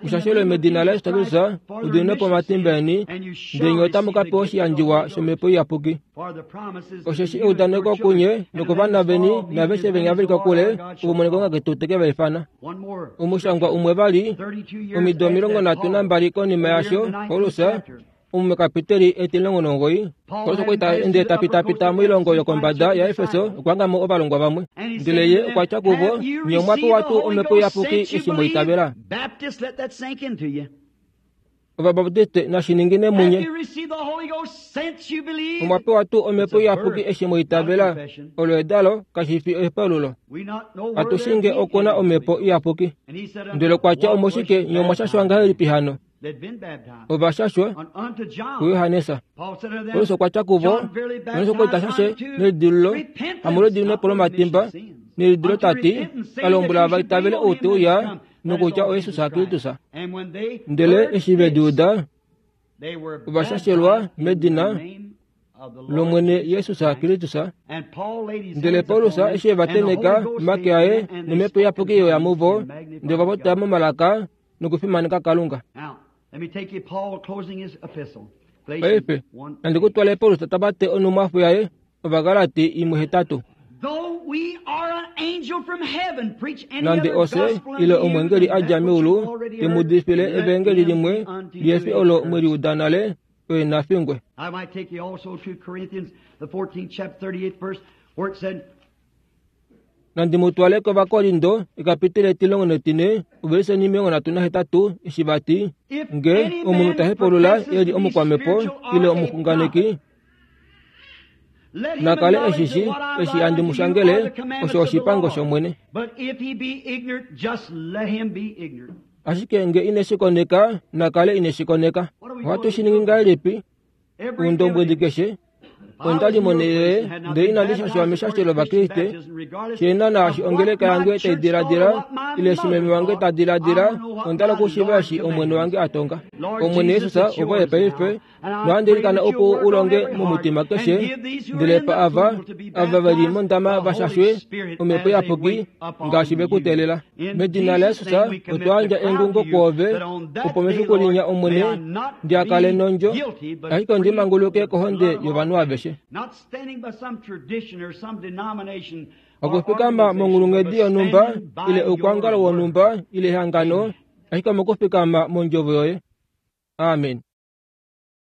mushashelwe medina laJesus Kristus, mudiminwe po omatimba eni, ndele nye otamu ka pewa oshiyandjiwa shOmhepo Iyapuki. Osheshi eudaneko kunye nokovana veni naaveshe venya ve li kokule, ovo Omwene Kalunga ketu te ke va ifana. Omushangwa umwe vali, omido omilongo nhatu nambali konima yasho, Paulus, omumekapiteli etimulongo nomugoyi, Paulus okwa li ta ende ta pitapita moilongo yokombada yaEfeso okwa hanga mo ovalongwa vamwe. Ndele ye okwa tya kuvo, nye omwa pewa tuu Omhepo Iyapuki eshi mwa itavela? Ovabaptiste nashi ningine munye. Omwa pewa tuu Omhepo Iyapuki eshi mwa itavela? Olo edalo, kashi fi ehepaululo. Atushinge oku na Omhepo Iyapuki. Ndele okwa tya omoshike nye omwa shashwa ngahelipi hano? Ova shashwa kuJohannes. Paulus okwa tya kuvo, Johannes okwa li ta shashe nelidilululo, hamolwediminepo lomatimba, nelidilo ta ti, a lombwela va itavele ou te uya, nokutya oJesus Kristus. Ndele eshi ve di uda, ova shashelwa medina lOmwene Jesus Kristus. Ndele Paulus eshi e va tenheka omake aye nOmhepo Iyapuki ye uya muvo, ndele ova popya momalaka nokufimaneka Kalunga. Paife, nandi ku twale Paulus ta bate onhumwafo yaye Ovagalati imwe hetatu. Nande ofye ile omwengeli a dja meulu te mu udifile evangeli limwe lihe fi olo mwe li uda nale, oye na fingwe. Nandi mu twale kOvakorindo ekapiteli etilongo netine, ovelise omilongo nhatu nahetatu, eshi va ti, nge omunhu ta hepaulula e li omukwamhepo ile omuxunganeki, na kale eshi shi eshi handi mu shangele, osho oshipango shOmwene. Ashike nge ine shi koneka, na kale ine shi koneka. Ohatu shi ningi ngahelipi? Oundombwedi keshe, Onda li monhele ndele inandi shashwa meshasho lOvakriste, shena naashi ongeleka yange tai diladila ile eshi meme wange ta diladila, onda hala okushiiva eshi Omwene wange a tonga. Omwene Jesus ovoye paife, nohandi ilikana opo u longe momutima keshe, ndele pa ava, ava ve li mondama va shashwe Omhepo Iyapuki ngaashi ve ku teelela. Medina laJesus otwa yandja engungo kwoove, opo mefiku linya Omwene ndi kale nondjo, ashike ondi manguluke kohonde yovanhu aveshe. Okufikama monghulunghedi yonhumba ile oukwangalo wonhumba ile ehangano, ashike omokufikama mondjovo yoye. Amen.